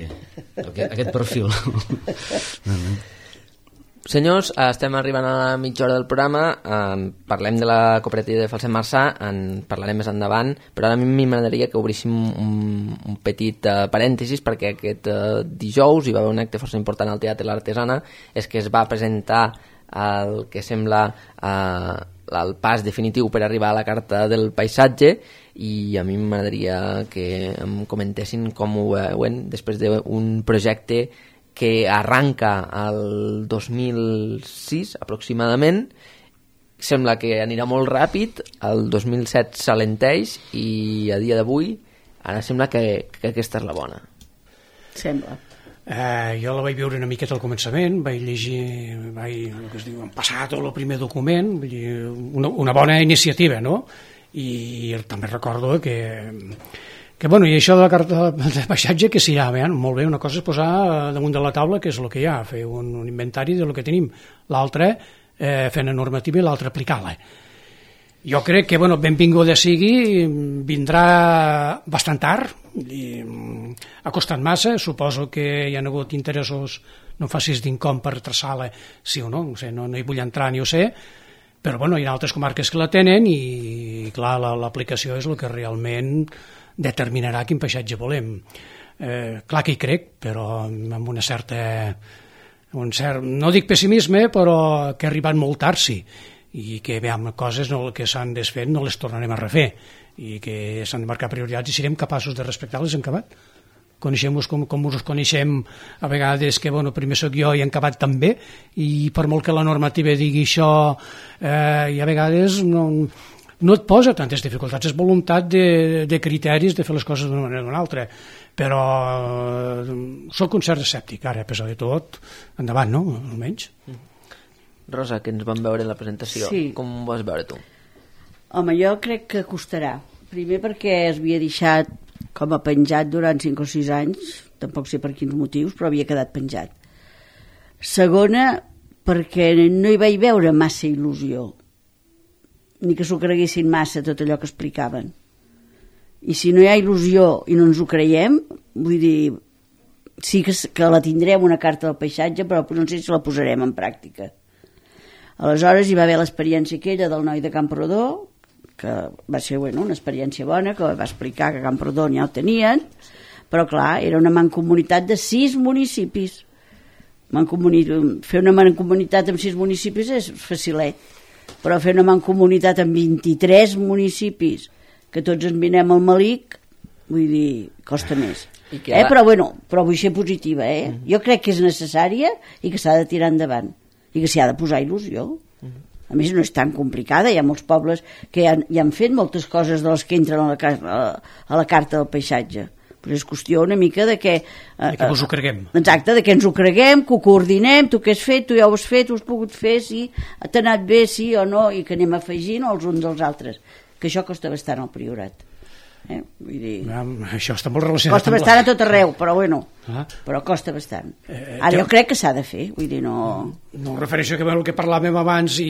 aquest, aquest perfil. Senyors, estem arribant a la mitja hora del programa, eh, parlem de la cooperativa de Falset Marçà, en parlarem més endavant, però ara a mi m'agradaria que obríssim un, un petit uh, parèntesis, perquè aquest uh, dijous hi va haver un acte força important al Teatre l'Artesana, és que es va presentar el que sembla uh, el pas definitiu per arribar a la Carta del Paisatge, i a mi m'agradaria que em comentessin com ho veuen després d'un projecte que arranca el dos mil sis aproximadament, sembla que anirà molt ràpid, el dos mil set s'alenteix i a dia d'avui ara sembla que, que aquesta és la bona. Sembla. Eh, jo la vaig veure una miqueta al començament, vaig llegir, vaig, el que es diu, passar tot el primer document, vull dir, una, una bona iniciativa, no? I, i també recordo que, que bueno, i això de la carta de paisatge, que sí, ja, bé, molt bé, una cosa és posar damunt de la taula què és el que hi ha, fer un, un inventari del que tenim, l'altre eh, fer una normativa i l'altre aplicar-la. Jo crec que, bueno, benvinguda sigui, vindrà bastant tard, i ha costat massa, suposo que hi ha hagut interessos, no facis d'incom per traçar-la, sí o no, no sé, no, no hi vull entrar ni ho sé, però bueno, hi ha altres comarques que la tenen i clar, l'aplicació és el que realment determinarà quin paisatge volem. Eh, clar que hi crec, però amb una certa, un cert, no dic pessimisme, però que ha arribat molt tard, sí, i que veiem coses no, que s'han desfet no les tornarem a refer i que s'han de marcar prioritats i serem capaços de respectar-les en acabat. Coneixem-vos com, com us coneixem a vegades, que bueno, primer soc jo i en acabat també, i per molt que la normativa digui això, eh, i a vegades no, no et posa tantes dificultats, és voluntat de, de criteris de fer les coses d'una manera o d'una altra, però eh, soc un cert escèptic, ara, a pesar de tot, endavant, no?, almenys. Rosa, que ens vam veure en la presentació, sí. Com ho vas veure tu? Home, jo crec que costarà. Primer perquè es havia deixat com a penjat durant cinc o sis anys, tampoc sé per quins motius, però havia quedat penjat. Segona, perquè no hi vaig veure massa il·lusió, ni que s'ho creguessin massa tot allò que explicaven. I si no hi ha il·lusió i no ens ho creiem, vull dir, sí que, que la tindrem una carta del paisatge, però no sé si la posarem en pràctica. Aleshores hi va haver l'experiència aquella del noi de Camprodó, que va ser bueno, una experiència bona, que va explicar que a Camprodó ja ho tenien, però clar, era una mancomunitat de sis municipis. Mancomuni... Fer una mancomunitat amb sis municipis és facilet, però fer una mancomunitat amb vint-i-tres municipis, que tots ens vinem al malic, vull dir, costa més. Eh? Però bueno, però vull ser positiva, eh? Mm-hmm. Jo crec que és necessària i que s'ha de tirar endavant. I que s'hi ha de posar il·lusió. A més, no és tan complicada, hi ha molts pobles que ja, ja han fet moltes coses de les que entren a la, a la carta del paisatge, però és qüestió una mica de que... De que us ho creguem. Exacte, de que ens ho creguem, que ho coordinem, tu què has fet, tu ja ho has fet, ho has pogut fer, sí, t'ha anat bé, sí o no, i que anem afegint els uns dels altres, que això costa bastant al Priorat. Eh? Vull dir... Ja, això està molt relacionat. Costa bastant a tot arreu, però bueno, ah. però costa bastant. Eh, Ara jo crec que s'ha de fer, vull dir, no... No em refereixo a el que parlàvem abans i,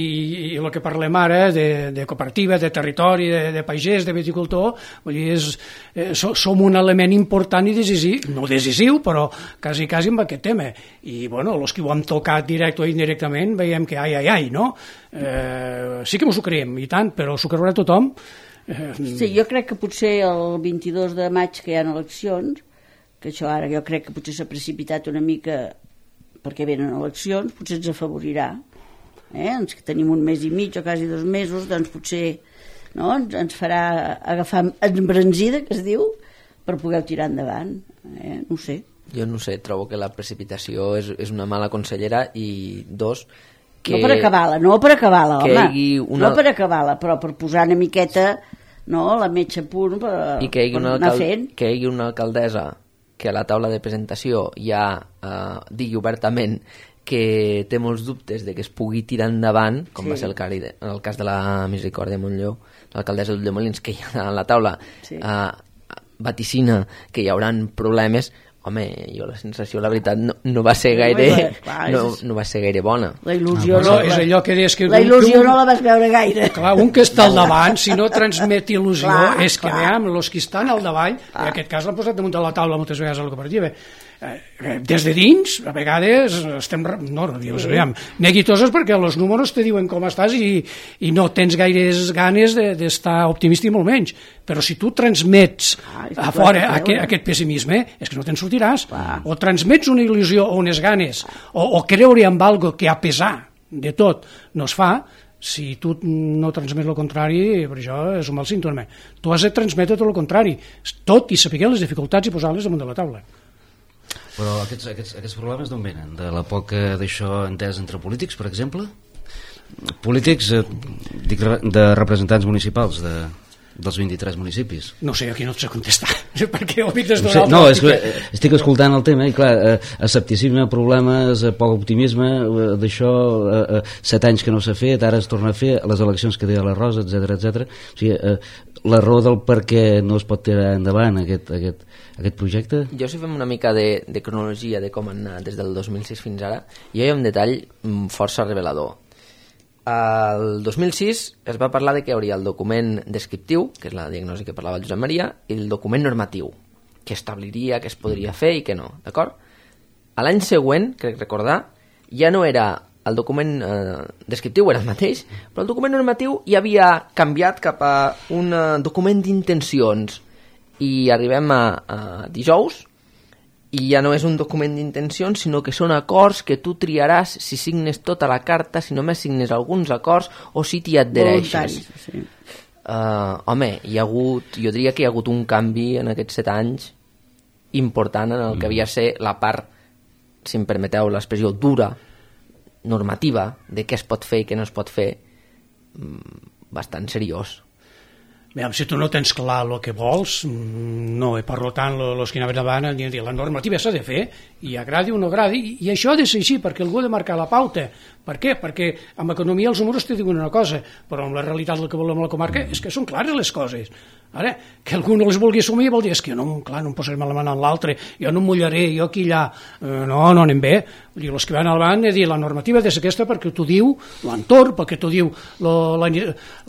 i el que parlem ara, de, de cooperativa, de territori, de, de pagès, de viticultor, vull dir, és, eh, so, som un element important i decisiu, no decisiu, però quasi, quasi amb aquest tema. I, bueno, els que ho hem tocat directe o indirectament veiem que ai, ai, ai, no? Eh, sí que ens ho creiem, i tant, però s'ho creurà tothom. Sí, jo crec que potser el vint-i-dos de maig que hi ha eleccions, que això ara jo crec que potser s'ha precipitat una mica perquè venen eleccions, potser ens afavorirà. Eh? Ens que tenim un mes i mig o quasi dos mesos, doncs potser no? ens, ens farà agafar embranzida, que es diu, per poder tirar endavant. Eh? No ho sé. Jo no sé, trobo que la precipitació és, és una mala consellera i dos... Que, no per acabar-la, no per acabar-la, home, una... no per acabar-la, però per posar una miqueta no, la metxa a punt per, I que hi hagi per una anar alcal... fent. Que hi hagi una alcaldessa que a la taula de presentació ja eh, digui obertament que té molts dubtes de que es pugui tirar endavant, com sí. va ser el, cari de, el cas de la Misericòrdia de Montlló, l'alcaldessa d'Ulldemolins, que hi ha a la taula sí. eh, vaticina que hi hauran problemes. Home, jo la sensació, la veritat, no, no va ser gaire no, no va ser gaire bona. La il·lusió, no, no, és allò que deies que la il·lusió un, no la vas veure gaire. Clar, un que està al davant, si no transmet il·lusió, clar, és que veiem, els que estan al davall, clar. En aquest cas l'han posat damunt de la taula moltes vegades a la cooperativa, eh, des de dins, a vegades estem no, dius, sí. aviam, neguitoses perquè els números te diuen com estàs i, i no tens gaires ganes d'estar de, optimista i molt menys, però si tu transmets ah, a fora aquest, aquest pessimisme, és que no te'n sortiràs. Clar. O transmets una il·lusió o unes ganes, o, o creure en algo que a pesar de tot no es fa. Si tu no transmets el contrari, per això és un mal símptoma. Tu has de transmetre tot el contrari, tot i saber les dificultats i posar-les damunt de la taula. Però aquests, aquests, aquests problemes d'on venen? De la poca d'això entès entre polítics, per exemple? Polítics, eh, dic, de representants municipals, de, dels vint-i-tres municipis? No sé, aquí no et sé contestar, perquè ho des no, sé, no és que estic escoltant el tema i clar, eh, escepticisme, problemes, eh, poc optimisme, eh, d'això, eh, eh, set anys que no s'ha fet, ara es torna a fer, les eleccions que deia la Rosa, etcètera, etcètera. O sigui, eh, la raó del per què no es pot tirar endavant aquest, aquest, aquest projecte? Jo si fem una mica de, de cronologia de com han anat des del dos mil sis fins ara, hi ha un detall força revelador. El dos mil sis es va parlar de que hi hauria el document descriptiu, que és la diagnosi que parlava el Josep Maria, i el document normatiu, que establiria què es podria fer i què no, d'acord? A l'any següent, crec recordar, ja no era el document eh, descriptiu, era el mateix, però el document normatiu ja havia canviat cap a un eh, document d'intencions, i arribem a, a dijous, i ja no és un document d'intencions, sinó que són acords que tu triaràs si signes tota la carta, si només signes alguns acords o si t'hi adhereixes. Sí. Uh, home, hi ha hagut, jo diria que hi ha hagut un canvi en aquests set anys important en el que havia de ser la part, si em permeteu l'expressió, dura, normativa, de què es pot fer i què no es pot fer, bastant seriós. Veiem, si tu no tens clar el que vols, no, i per tant els que anaven davant han dit la normativa s'ha de fer, i agradi o no agradi, i això ha de ser així, perquè algú ha de marcar la pauta. Per què? Perquè amb economia els números te diuen una cosa, però amb la realitat el que volem a la comarca és que són clares les coses. Ara, que algú no les vulgui assumir vol dir, és que no, clar, no em posaré la mà en l'altre, jo no em mullaré, jo aquí allà, eh, no, no anem bé. Vull dir, els que van al banc he dit, la normativa ha de ser aquesta perquè t'ho diu l'entorn, perquè t'ho diu la, la,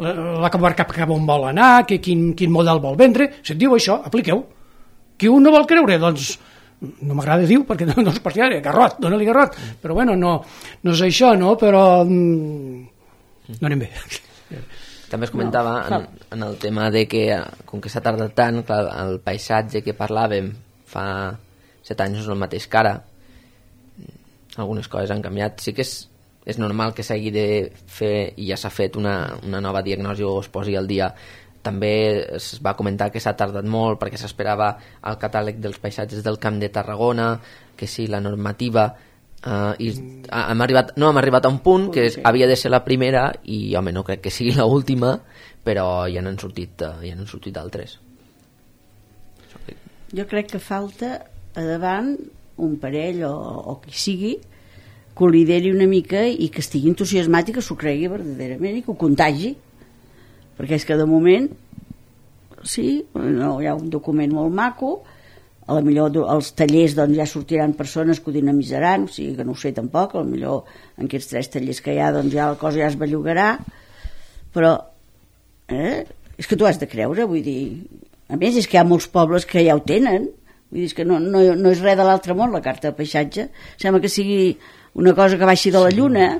la, la comarca cap on vol anar, que quin, quin model vol vendre, si et diu això, apliqueu. Qui un no vol creure, doncs no m'agrada dir perquè no, no és partidari, garrot, dona-li garrot, però bueno, no, no és això, no, però mm, no anem bé. També es comentava no, en, en el tema de que, com que s'ha tardat tant, clar, el paisatge que parlàvem fa set anys no és el mateix que ara, algunes coses han canviat. Sí que és, és normal que s'hagi de fer, i ja s'ha fet una, una nova diagnosi o es posi al dia. També es va comentar que s'ha tardat molt perquè s'esperava el catàleg dels paisatges del Camp de Tarragona, que sí, la normativa... Uh, i hem arribat, no hem arribat a un punt que és, havia de ser la primera i home, no crec que sigui l'última, però ja n'han sortit, uh, ja n'han sortit d'altres. Jo crec que falta a davant un parell o, o qui sigui que ho lideri una mica i que estigui entusiasmat i que s'ho cregui verdaderament i que ho contagi, perquè és que de moment sí, no, hi ha un document molt maco, a la millor als tallers doncs, ja sortiran persones que ho dinamitzaran, o sigui que no ho sé tampoc, a la millor en aquests tres tallers que hi ha doncs ja la cosa ja es bellugarà, però eh, és que tu has de creure, vull dir, a més és que hi ha molts pobles que ja ho tenen, vull dir, és que no, no, no és res de l'altre món la carta de paisatge, sembla que sigui una cosa que baixi de la lluna,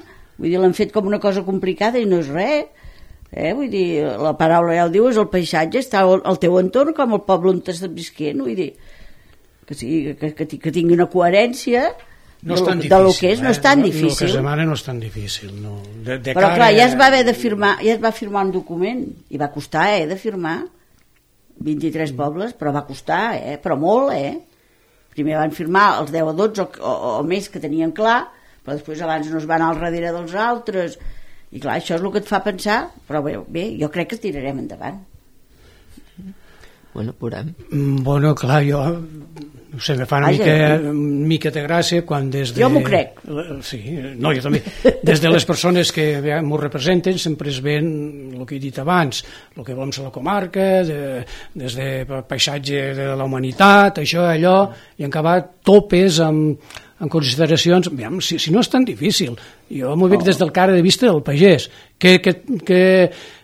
vull dir, l'han fet com una cosa complicada i no és res, eh? Vull dir, la paraula ja el diu, és el paisatge, està al teu entorn com el poble on estàs visquent, vull dir, que, sigui, que, que, que tingui una coherència no és tan de, difícil, de lo que és, eh? no és tan no, difícil. El que es demana no és tan difícil. No. De, de Però cara... clar, ja es va haver de firmar, ja es va firmar un document, i va costar, eh, de firmar, vint-i-tres pobles, però va costar, eh, però molt, eh. Primer van firmar els deu o dotze o, o, o més que tenien clar, però després abans no es van al darrere dels altres, i clar, això és el que et fa pensar, però bé, bé jo crec que tirarem endavant. Bueno, veurem. Bueno, clar, jo no sé, me fa una mica, mica de gràcia quan des de... Jo m'ho crec. Sí, no, jo també. Des de les persones que m'ho representen sempre es ven el que he dit abans, el que volem ser la comarca, de, des de paisatge de la humanitat, això, allò, i en acabar topes amb, amb consideracions. Aviam, si, si no és tan difícil, jo m'ho veig des del cara de vista del pagès, que, que, que,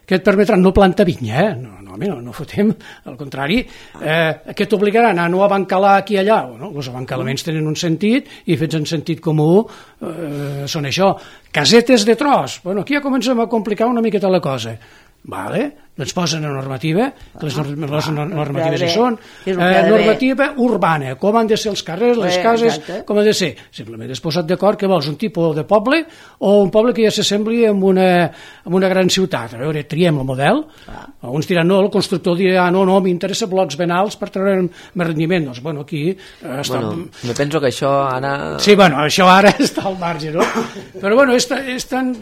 que et permetran no plantar vinya, eh? No, no, no, no fotem, al contrari, eh, que t'obligaran a no abancalar aquí i allà, no? Els abancalaments tenen un sentit i fets en sentit comú eh, són això. Casetes de tros, bueno, aquí ja comencem a complicar una miqueta la cosa. Vale, doncs posen una normativa, que les normatives hi són, eh, normativa urbana, com han de ser els carrers, les cases, com han de ser. Simplement és posat d'acord que vols un tipus de poble o un poble que ja s'assembli amb una, amb una gran ciutat. A veure, triem el model, alguns diran no, el constructor dirà no, no, m'interessa blocs ben alts per treure més rendiment. Doncs, bueno, aquí... Eh, està... Bueno, me penso que això ara... Sí, bueno, això ara està al marge, no? Però, bueno, és, és tan,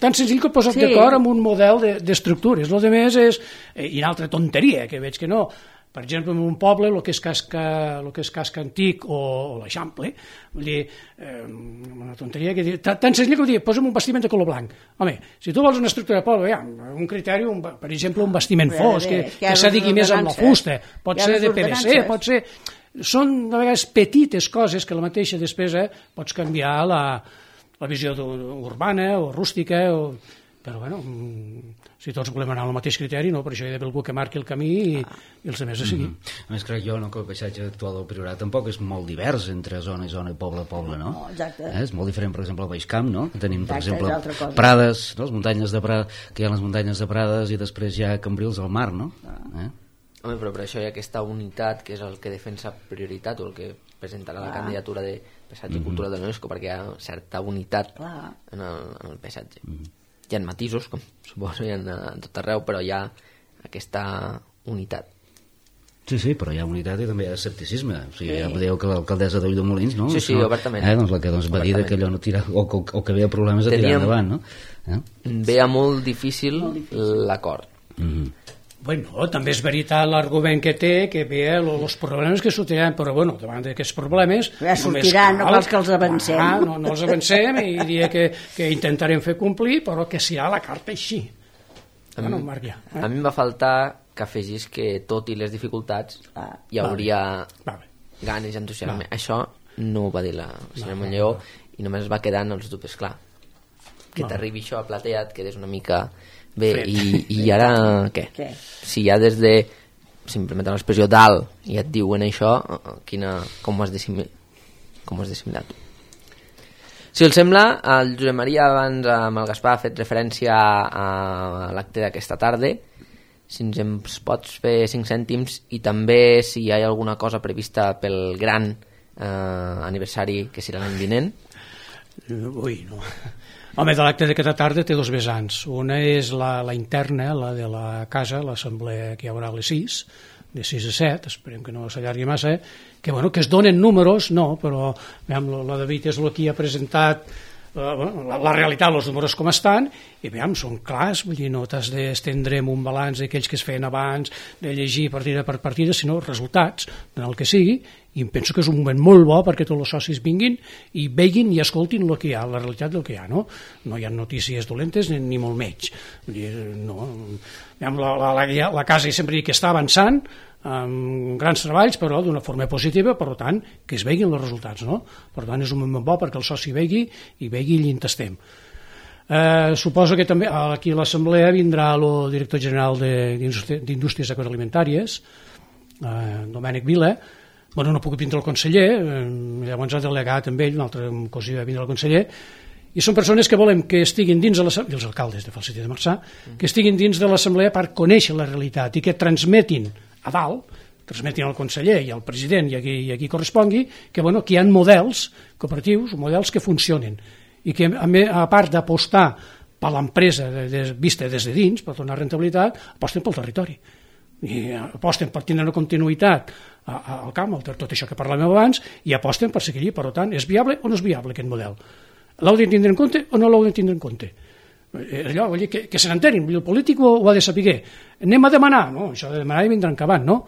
tan senzill que posat sí. d'acord amb un model d'estructura, és el de de més és, i una altra tonteria, que veig que no, per exemple, en un poble, el que és casca, el que és casca antic o, o l'Eixample, vull dir, eh, una tonteria que dir, tan senzill com dir, posa'm un bastiment de color blanc. Home, si tu vols una estructura de poble, ja, un criteri, un, per exemple, un bastiment fosc, que, que s'adigui més amb la fusta, pot ser de P V C, pot ser... Són, de vegades, petites coses que la mateixa despesa pots canviar la, la visió urbana o rústica, o... però bueno, si tots volem anar al mateix criteri, no, per això hi ha d'haver algú que marqui el camí i, i els altres a seguir. Mm-hmm. A més, crec jo no, que el paisatge actual del Priorat tampoc és molt divers entre zona i zona i poble a poble, no? No, exacte. Eh? És molt diferent, per exemple, al Baix Camp, no? Que tenim, per Exacte, exemple, Prades, no? Les muntanyes de Prades, que hi ha les muntanyes de Prades i després hi ha Cambrils al mar, no? Ah. Eh? Home, però per això hi ha aquesta unitat que és el que defensa prioritat o el que presentarà la candidatura de paisatge i mm-hmm. cultura de l'UNESCO, perquè hi ha certa unitat Clar. en el, en el paisatge. Mm-hmm. Hi ha matisos, com suposo, hi ha a tot arreu, però hi ha aquesta unitat. Sí, sí, però hi ha unitat i també hi ha escepticisme. O sigui, sí. Ja podeu que l'alcaldessa d'Ulldemolins, no? Sí, sí, no, obertament. Eh, doncs la que doncs, va dir que allò no tira, o, o, o que veia problemes a tirar Teníem... endavant, no? Eh? Veia molt difícil, difícil. l'acord. Mm-hmm. Bueno, també és veritat l'argument que té, que ve els problemes que sortiran, però bueno, davant d'aquests problemes... Ja sortiran, cal, no cal que els avancem. Ah, no, no els avancem i diria que, que intentarem fer complir, però que serà la carta així. A, bueno, mi, Marc, ja, eh? a mi em va faltar que afegís que tot i les dificultats ah, hi hauria vale. ganes i entusiasme. Vale. Això no ho va dir la senyora vale, Montlleó vale. I només es va quedar en els dubtes. Clar, que vale. T'arribi això a platea, et quedes una mica... Bé, i, i ara què? què? Si ja des de, si em permeten l'expressió, dalt i et diuen això, quina, com ho has dissimilat? Com ho has dissimilat? Si els sembla, el Josep Maria abans amb el Gaspar ha fet referència a, a l'acte d'aquesta tarda. Si ens en pots fer cinc cèntims i també si hi ha alguna cosa prevista pel gran eh, aniversari que serà l'any vinent. Ui, no... Home, de l'acte d'aquesta tarda té dos vessants. Una és la, la interna, la de la casa, l'assemblea que hi haurà a les sis, de sis a set, esperem que no s'allargui massa, que, bueno, que es donen números, no, però veiem, la David és el que ha presentat la, la, la realitat, els números com estan, i veiem, són clars, vull dir, no t'has d'estendre en un balanç d'aquells que es feien abans, de llegir partida per partida, sinó resultats, del que sigui, i em penso que és un moment molt bo perquè tots els socis vinguin i veguin i escoltin el que hi ha, la realitat del que hi ha, no? No hi ha notícies dolentes ni, ni molt menys. Vull dir, no, la, la, la, la casa sempre que està avançant amb grans treballs, però d'una forma positiva, per tant, que es veguin els resultats, no? Per tant, és un moment bo perquè el soci vegui i vegui i l'intastem. Eh, suposo que també aquí a l'assemblea vindrà el director general d'Indústries Agroalimentàries, eh, Domènec Vila. Bueno, no puc vindre el conseller, eh, llavors ha delegat amb ell, una altra ocasió va vindre el conseller, i són persones que volem que estiguin dins de l'assemblea, i els alcaldes de Falset i de Marçà, que estiguin dins de l'assemblea per conèixer la realitat i que transmetin a dalt, transmetin al conseller i al president i a qui, i a qui correspongui, que, bueno, que hi ha models cooperatius, models que funcionen, i que a, a part d'apostar per l'empresa de, de, vista des de dins, per donar rentabilitat, aposten pel territori. I aposten per tenir una continuïtat al camp, tot això que parlàvem abans, i aposten per seguir. Per tant, és viable o no és viable aquest model? L'heu de tindre en compte o no l'heu de tindre en compte? Allò, vull dir, que, que se n'enterin, el polític ho, ho ha de saber. Anem a demanar, no? Això de demanar i vindrà encabant, no?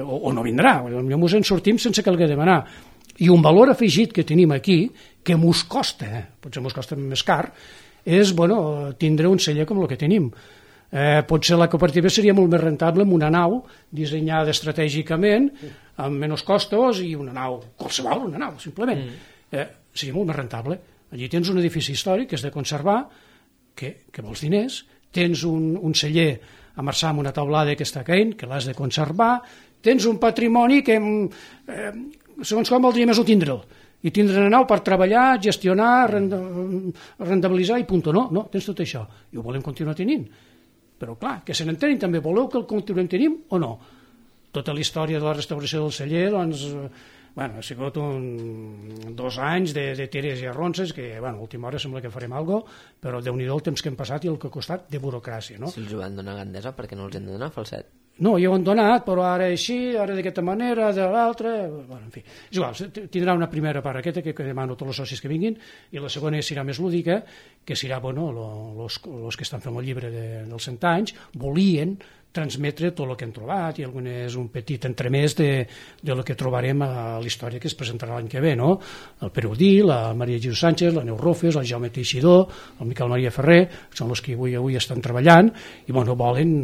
O, o no vindrà, potser ens en sortim sense que l'haguem de demanar. I un valor afegit que tenim aquí, que mos costa, eh? Potser mos costa més car, és, bueno, tindre un celler com el que tenim. Eh, potser la cooperativa seria molt més rentable amb una nau dissenyada estratègicament, amb menys costos, i una nau, qualsevol, una nau, simplement. Eh, seria molt més rentable. Allí tens un edifici històric que has de conservar, que, que vols diners, tens un, un celler a Marçà amb una taulada que està caient, que l'has de conservar, tens un patrimoni que, eh, segons com voldria més ho tindre'l, i tindre una nau per treballar, gestionar, rentabilitzar i punt. No, no, tens tot això, i ho volem continuar tenint. Però clar, que se n'entenin també, voleu que el continuem tenint o no? Tota la història de la restauració del celler, doncs, bueno, ha sigut un, dos anys de, de tires i arronses, que, bueno, a última hora sembla que farem alguna cosa, però Déu-n'hi-do el temps que hem passat i el que ha costat de burocràcia, no? Si els ho van donar Gandesa, per què no els hem de donar Falset? no, ja ho han donat, però ara així, ara d'aquesta manera, de l'altra... Bueno, en fi, és igual, tindrà una primera part aquesta, que, que demano a tots els socis que vinguin, i la segona serà més lúdica, que serà, bueno, els que estan fent el llibre de, dels cent anys, volien transmetre tot el que han trobat, i algun és un petit entremès de, de lo que trobarem a la història que es presentarà l'any que ve, no? El Pere Udí, la Maria Jesús Sánchez, la Neus Rofes, el Jaume Teixidor, el Miquel Maria Ferrer, són els que avui, avui estan treballant, i, bueno, volen,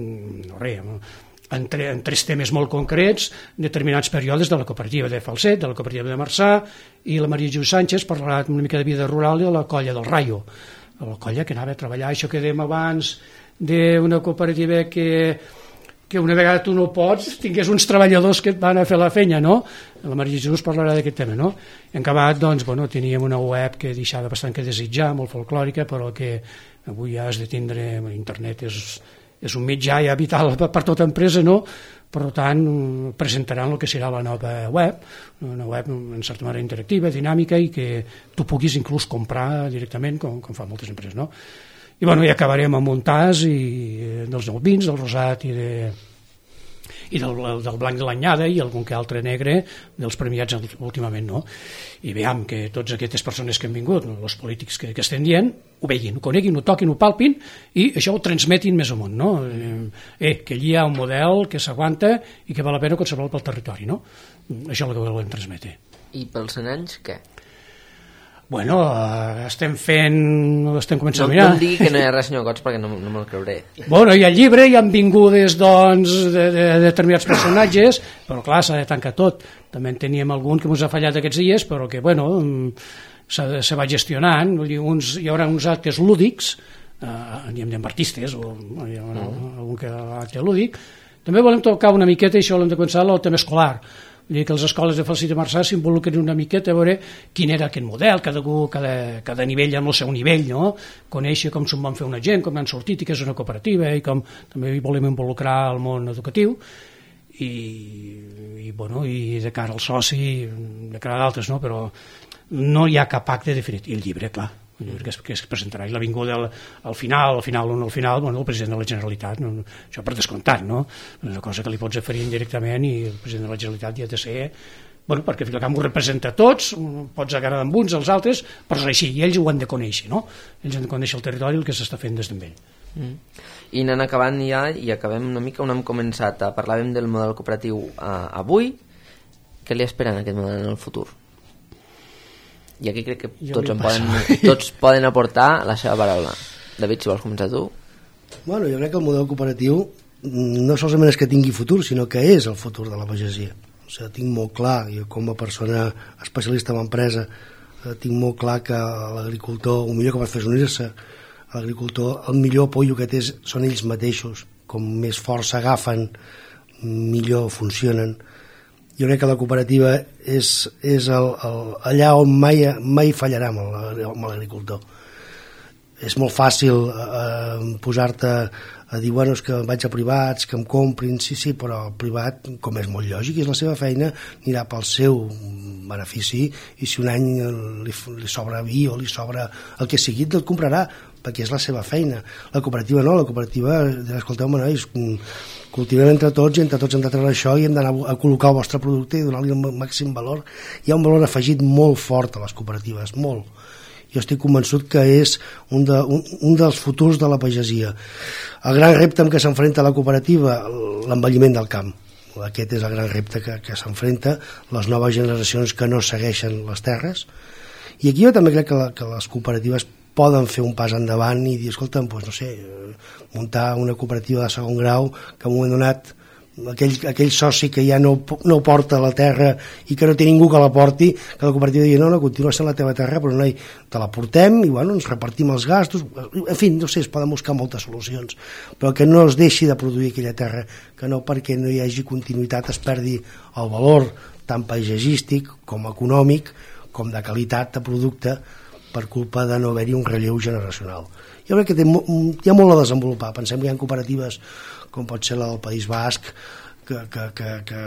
no res, En, tre, en tres temes molt concrets, determinats períodes de la cooperativa de Falset, de la cooperativa de Marçà, i la Maria Jesús Sánchez parlarà una mica de vida rural i de la colla del Rayo, la colla que anava a treballar, això que dèiem abans d'una cooperativa que, que una vegada tu no pots, tingués uns treballadors que et van a fer la feina, no? La Maria Jesús parlarà d'aquest tema, no? En acabat, doncs, bueno, teníem una web que deixava bastant que desitjar, molt folclòrica, però que avui ja has de tindre, internet és... és un mitjà ja vital per tota empresa, no? Per tant, presentaran el que serà la nova web, una web en certa manera interactiva, dinàmica, i que tu puguis inclús comprar directament, com, com fan moltes empreses, no? I, bueno, ja acabarem amb un tas i, dels nou vins, del rosat i de... i del, del blanc de l'anyada i algun que altre negre dels premiats últimament, no? I veiem que tots aquestes persones que han vingut, els polítics que, que estem dient, ho veguin, ho coneguin, ho toquin, ho palpin i això ho transmetin més amunt, no? Eh, que allí hi ha un model que s'aguanta i que val la pena conservar pel territori, no? Això és el que volem transmetre. I pels cent anys, què? Bueno, uh, estem fent... estem començant no, a mirar. No em digui que no hi ha res, senyor Cots, perquè no, no me'l creuré. Bueno, hi ha llibre, hi han vingudes, doncs, de, de, de determinats personatges, però clar, s'ha de tancar tot. També en teníem algun que ens ha fallat aquests dies, però que, bueno, se, se va gestionant. Uns, hi haurà uns actes lúdics, uh, diem artistes, o hi haurà mm. algun que acte lúdic. També volem tocar una miqueta, i això l'hem de començar, el tema escolar. Vull dir que les escoles de Falset i Marçà s'involucren una miqueta a veure quin era aquest model, cada, cada, cada nivell amb el seu nivell, no? Conèixer com se'n van fer una gent, com han sortit i que és una cooperativa, i com també volem involucrar el món educatiu, i, i, bueno, i de cara al soci, de cara a d'altres, no? Però no hi ha cap acte definitiu. I el llibre, clar, el llibre que es, que es presentarà, i la vinguda al, al final, al final o no al final, bueno, el president de la Generalitat, no, això per descomptat, no? És una cosa que li pots oferir indirectament, i el president de la Generalitat ja ha de ser, bueno, perquè al final ho representa a tots, pots agradar amb uns, als altres, però és així, i ells ho han de conèixer, no? Ells han de conèixer el territori i el que s'està fent des d'ell. Mm. I anant acabant ja, i acabem una mica on hem començat, parlàvem del model cooperatiu uh, avui, què li esperen a aquest model en el futur? I aquí crec que tots, en poden, tots poden aportar la seva paraula. David, si vols començar tu. Bueno, jo crec que el model cooperatiu no solament és que tingui futur, sinó que és el futur de la pagesia. O sigui, tinc molt clar, jo com a persona especialista en empresa, tinc molt clar que l'agricultor, el millor que pot fer és unir-se. L'agricultor, el millor apoyo que té són ells mateixos. Com més força agafen, millor funcionen. Jo crec que la cooperativa és, és el, el, allà on mai, mai fallarà amb l'agricultor. És molt fàcil eh, posar-te a dir, bueno, és que vaig a privats, que em comprin, sí, sí, però el privat, com és molt lògic, és la seva feina, anirà pel seu benefici, i si un any li, li sobra vi o li sobra el que sigui, el comprarà, perquè és la seva feina. La cooperativa no, la cooperativa, escolteu-me, nois, cultivem entre tots, i entre tots hem de treure això, i hem d'anar a col·locar el vostre producte i donar-li el màxim valor. Hi ha un valor afegit molt fort a les cooperatives, molt. Jo estic convençut que és un, de, un, un dels futurs de la pagesia. El gran repte amb què s'enfrenta la cooperativa, l'envelliment del camp. Aquest és el gran repte que, que s'enfrenta, les noves generacions que no segueixen les terres. I aquí jo també crec que, la, que les cooperatives poden fer un pas endavant i dir, escolta'm, doncs, no sé, muntar una cooperativa de segon grau que en un moment donat aquell, aquell soci que ja no, no porta la terra i que no té ningú que la porti, que la cooperativa digui, no, no, continua sent la teva terra, però no, te la portem i bueno, ens repartim els gastos, en fi, no sé, es poden buscar moltes solucions, però que no es deixi de produir aquella terra, que no perquè no hi hagi continuïtat es perdi el valor tant paisatgístic com econòmic com de qualitat de producte per culpa de no haver-hi un relleu generacional. Jo crec que té, hi ha molt a desenvolupar. Pensem que hi ha cooperatives com pot ser la del País Basc, que, que, que, que,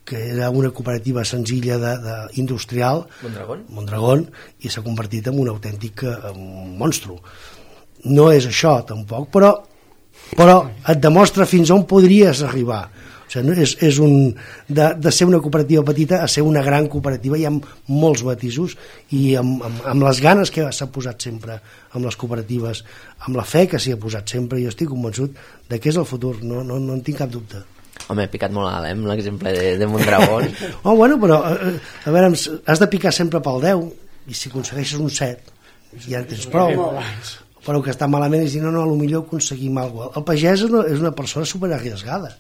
que era una cooperativa senzilla de, de industrial, Mondragón, Mondragón, i s'ha convertit en un autèntic en un monstru. No és això, tampoc, però però et demostra fins on podries arribar. O sigui, és, és un, de, de ser una cooperativa petita a ser una gran cooperativa, hi ha molts matisos, i amb, amb, amb les ganes que s'ha posat sempre amb les cooperatives, amb la fe que s'hi ha posat sempre, jo estic convençut de que és el futur, no, no, no en tinc cap dubte. Home, he picat molt alt, eh, amb l'exemple de, de Mondragón. Oh, bueno, però a, a veure, has de picar sempre pel deu, i si aconsegueixes un set ja en tens prou, però que està malament és dir, no, no, potser aconseguim alguna cosa. El pagès és una, és una persona superarriesgada,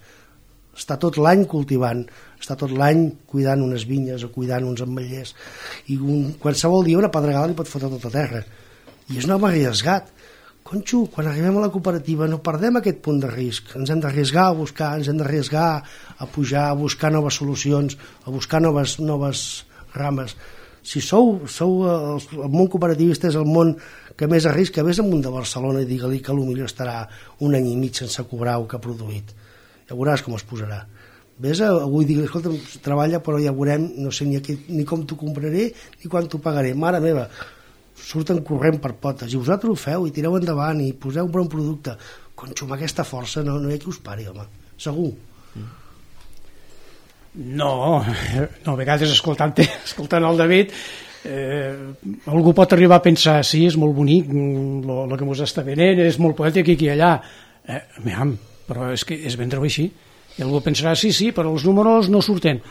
està tot l'any cultivant, està tot l'any cuidant unes vinyes o cuidant uns ametllers, i un, qualsevol dia una pedregada li pot fotre tota terra, i és un home arriesgat. Conxo, quan arribem a la cooperativa no perdem aquest punt de risc, ens hem d'arriesgar a buscar, ens hem d'arriesgar a pujar, a buscar noves solucions, a buscar noves, noves rames. Si sou, sou el, el món cooperativista és el món que més arrisca, vés amunt de Barcelona i digue-li que potser estarà un any i mig sense cobrar el que ha produït. Ja veuràs com es posarà. Vés a, avui digue, escolta, treballa, però ja veurem, no sé ni, aquí, ni com t'ho compraré ni quan t'ho pagaré. Mare meva, surten corrent per potes, i vosaltres ho feu i tireu endavant i poseu un bon producte. Conxo, amb aquesta força no, no hi ha qui us pari, home, segur. No, no, a vegades escoltant, escoltant el David eh, algú pot arribar a pensar sí, és molt bonic el que ens està venent, és molt poètic aquí i allà, eh, miam, però és que és vendre-ho així, i algú pensarà sí, sí, però els números no surten.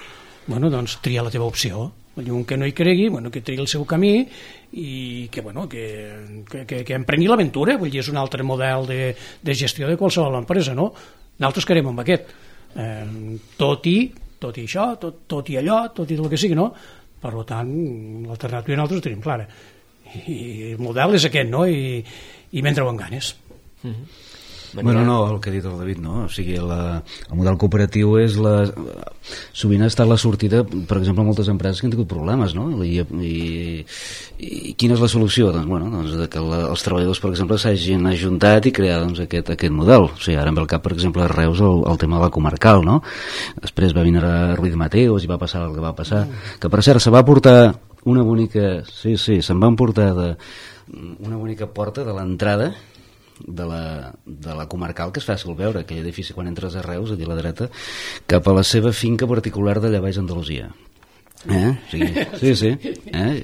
Bueno, doncs tria la teva opció, un que no hi cregui, bueno, que triï el seu camí i que, bueno, que, que, que, que emprengui l'aventura, vull dir, és un altre model de, de gestió de qualsevol empresa, no? Nosaltres querem amb aquest, eh, tot i tot i això, tot, tot i allò, tot i el que sigui, no? Per tant, l'alternativa nosaltres ho tenim clara. I el model és aquest, no? I, i vendre-ho amb ganes. Mm-hmm. Bueno, no, el que ha dit el David, no? O sigui, la, el model cooperatiu és la... Sovint ha estat la sortida, per exemple, a moltes empreses que han tingut problemes, no? I, i, i quina és la solució? Doncs, bueno, doncs que la, els treballadors, per exemple, s'hagin ajuntat i crear doncs, aquest, aquest model. O sigui, ara em ve al cap, per exemple, a Reus el, el tema de la comarcal, no? Després va vindre Ruiz Mateos i va passar el que va passar. Mm. Que, per cert, se va portar una bonica... Sí, sí, se'n van portar de, una bonica porta de l'entrada de la, de la comarcal, que és fàcil veure aquell edifici quan entres a Reus, aquí a la dreta, cap a la seva finca particular d'allà baix Andalusia. Eh? Sí, sí, sí. Eh?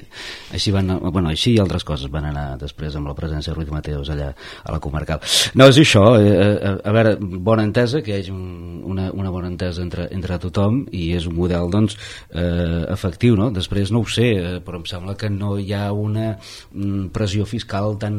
Així van, bueno, així i altres coses van anar després amb la presència de Ruiz Mateos allà a la comarcal. No, és això, eh, a, a veure, bona entesa, que hi hagi un, una, una bona entesa entre, entre tothom, i és un model, doncs, eh, efectiu, no? Després no ho sé, eh, però em sembla que no hi ha una mm, pressió fiscal tan,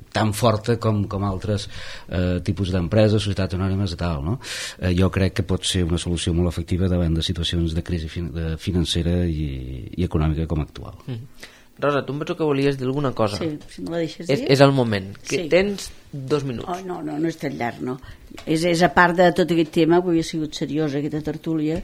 tan forta com, com altres eh, tipus d'empreses, societats anònimes i tal, no? Eh, jo crec que pot ser una solució molt efectiva davant de situacions de crisi fin de financera i, i econòmica com actual. Mm. Rosa, tu em penso que volies dir alguna cosa. Sí, si me la deixes dir. És, és el moment, que sí. Tens dos minuts. Oh, no, no, no és tan llarg, no. És, és a part de tot aquest tema, avui ha sigut seriosa aquesta tertúlia,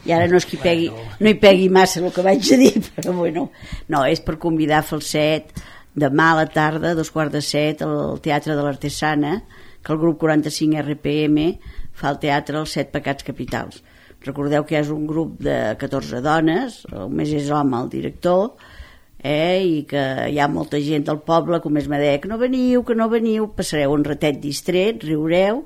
i ara no és que hi pegui, no hi pegui massa el que vaig a dir, però bueno, no, és per convidar Falset demà a la tarda, dos quarts de set, al Teatre de l'Artesana, que el grup quaranta-cinc R P M fa el teatre Els Set Pecats Capitals. Recordeu que és un grup de catorze dones, el més és home el director, eh, i que hi ha molta gent del poble que més me deia que no veniu, que no veniu, passareu un ratet distret, riureu,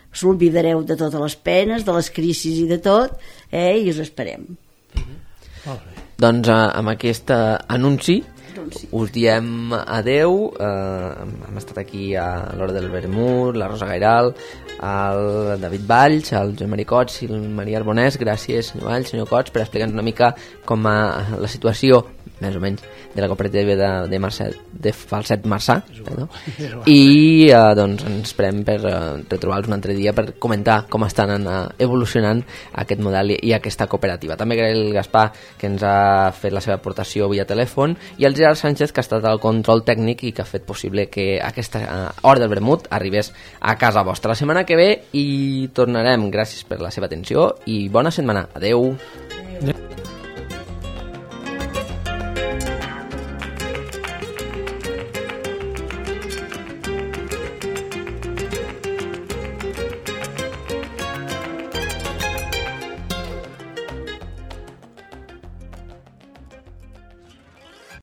us oblidareu de totes les penes, de les crisis i de tot, eh, i us esperem. Mm-hmm. Doncs eh, amb aquest anunci us diem adeu. eh, hem estat aquí a l'Hora del Vermut, la Rosa Gairal, el David Valls, el Joan Maria Cots i el Maria Arbonès. Gràcies, senyor Valls, senyor Cots, per explicar-nos una mica com a la situació, més o menys, de la cooperativa de, de, Marçà, de Falset Marçà, perdó. I eh, doncs ens esperem per eh, retrobar-los un altre dia per comentar com estan eh, evolucionant aquest model i, i aquesta cooperativa. També agrair el Gaspar, que ens ha fet la seva aportació via telèfon, i el Gerard Sánchez, que ha estat al control tècnic i que ha fet possible que aquesta eh, Hora del Vermut arribés a casa vostra. La setmana que ve hi tornarem. Gràcies per la seva atenció i bona setmana. Adeu.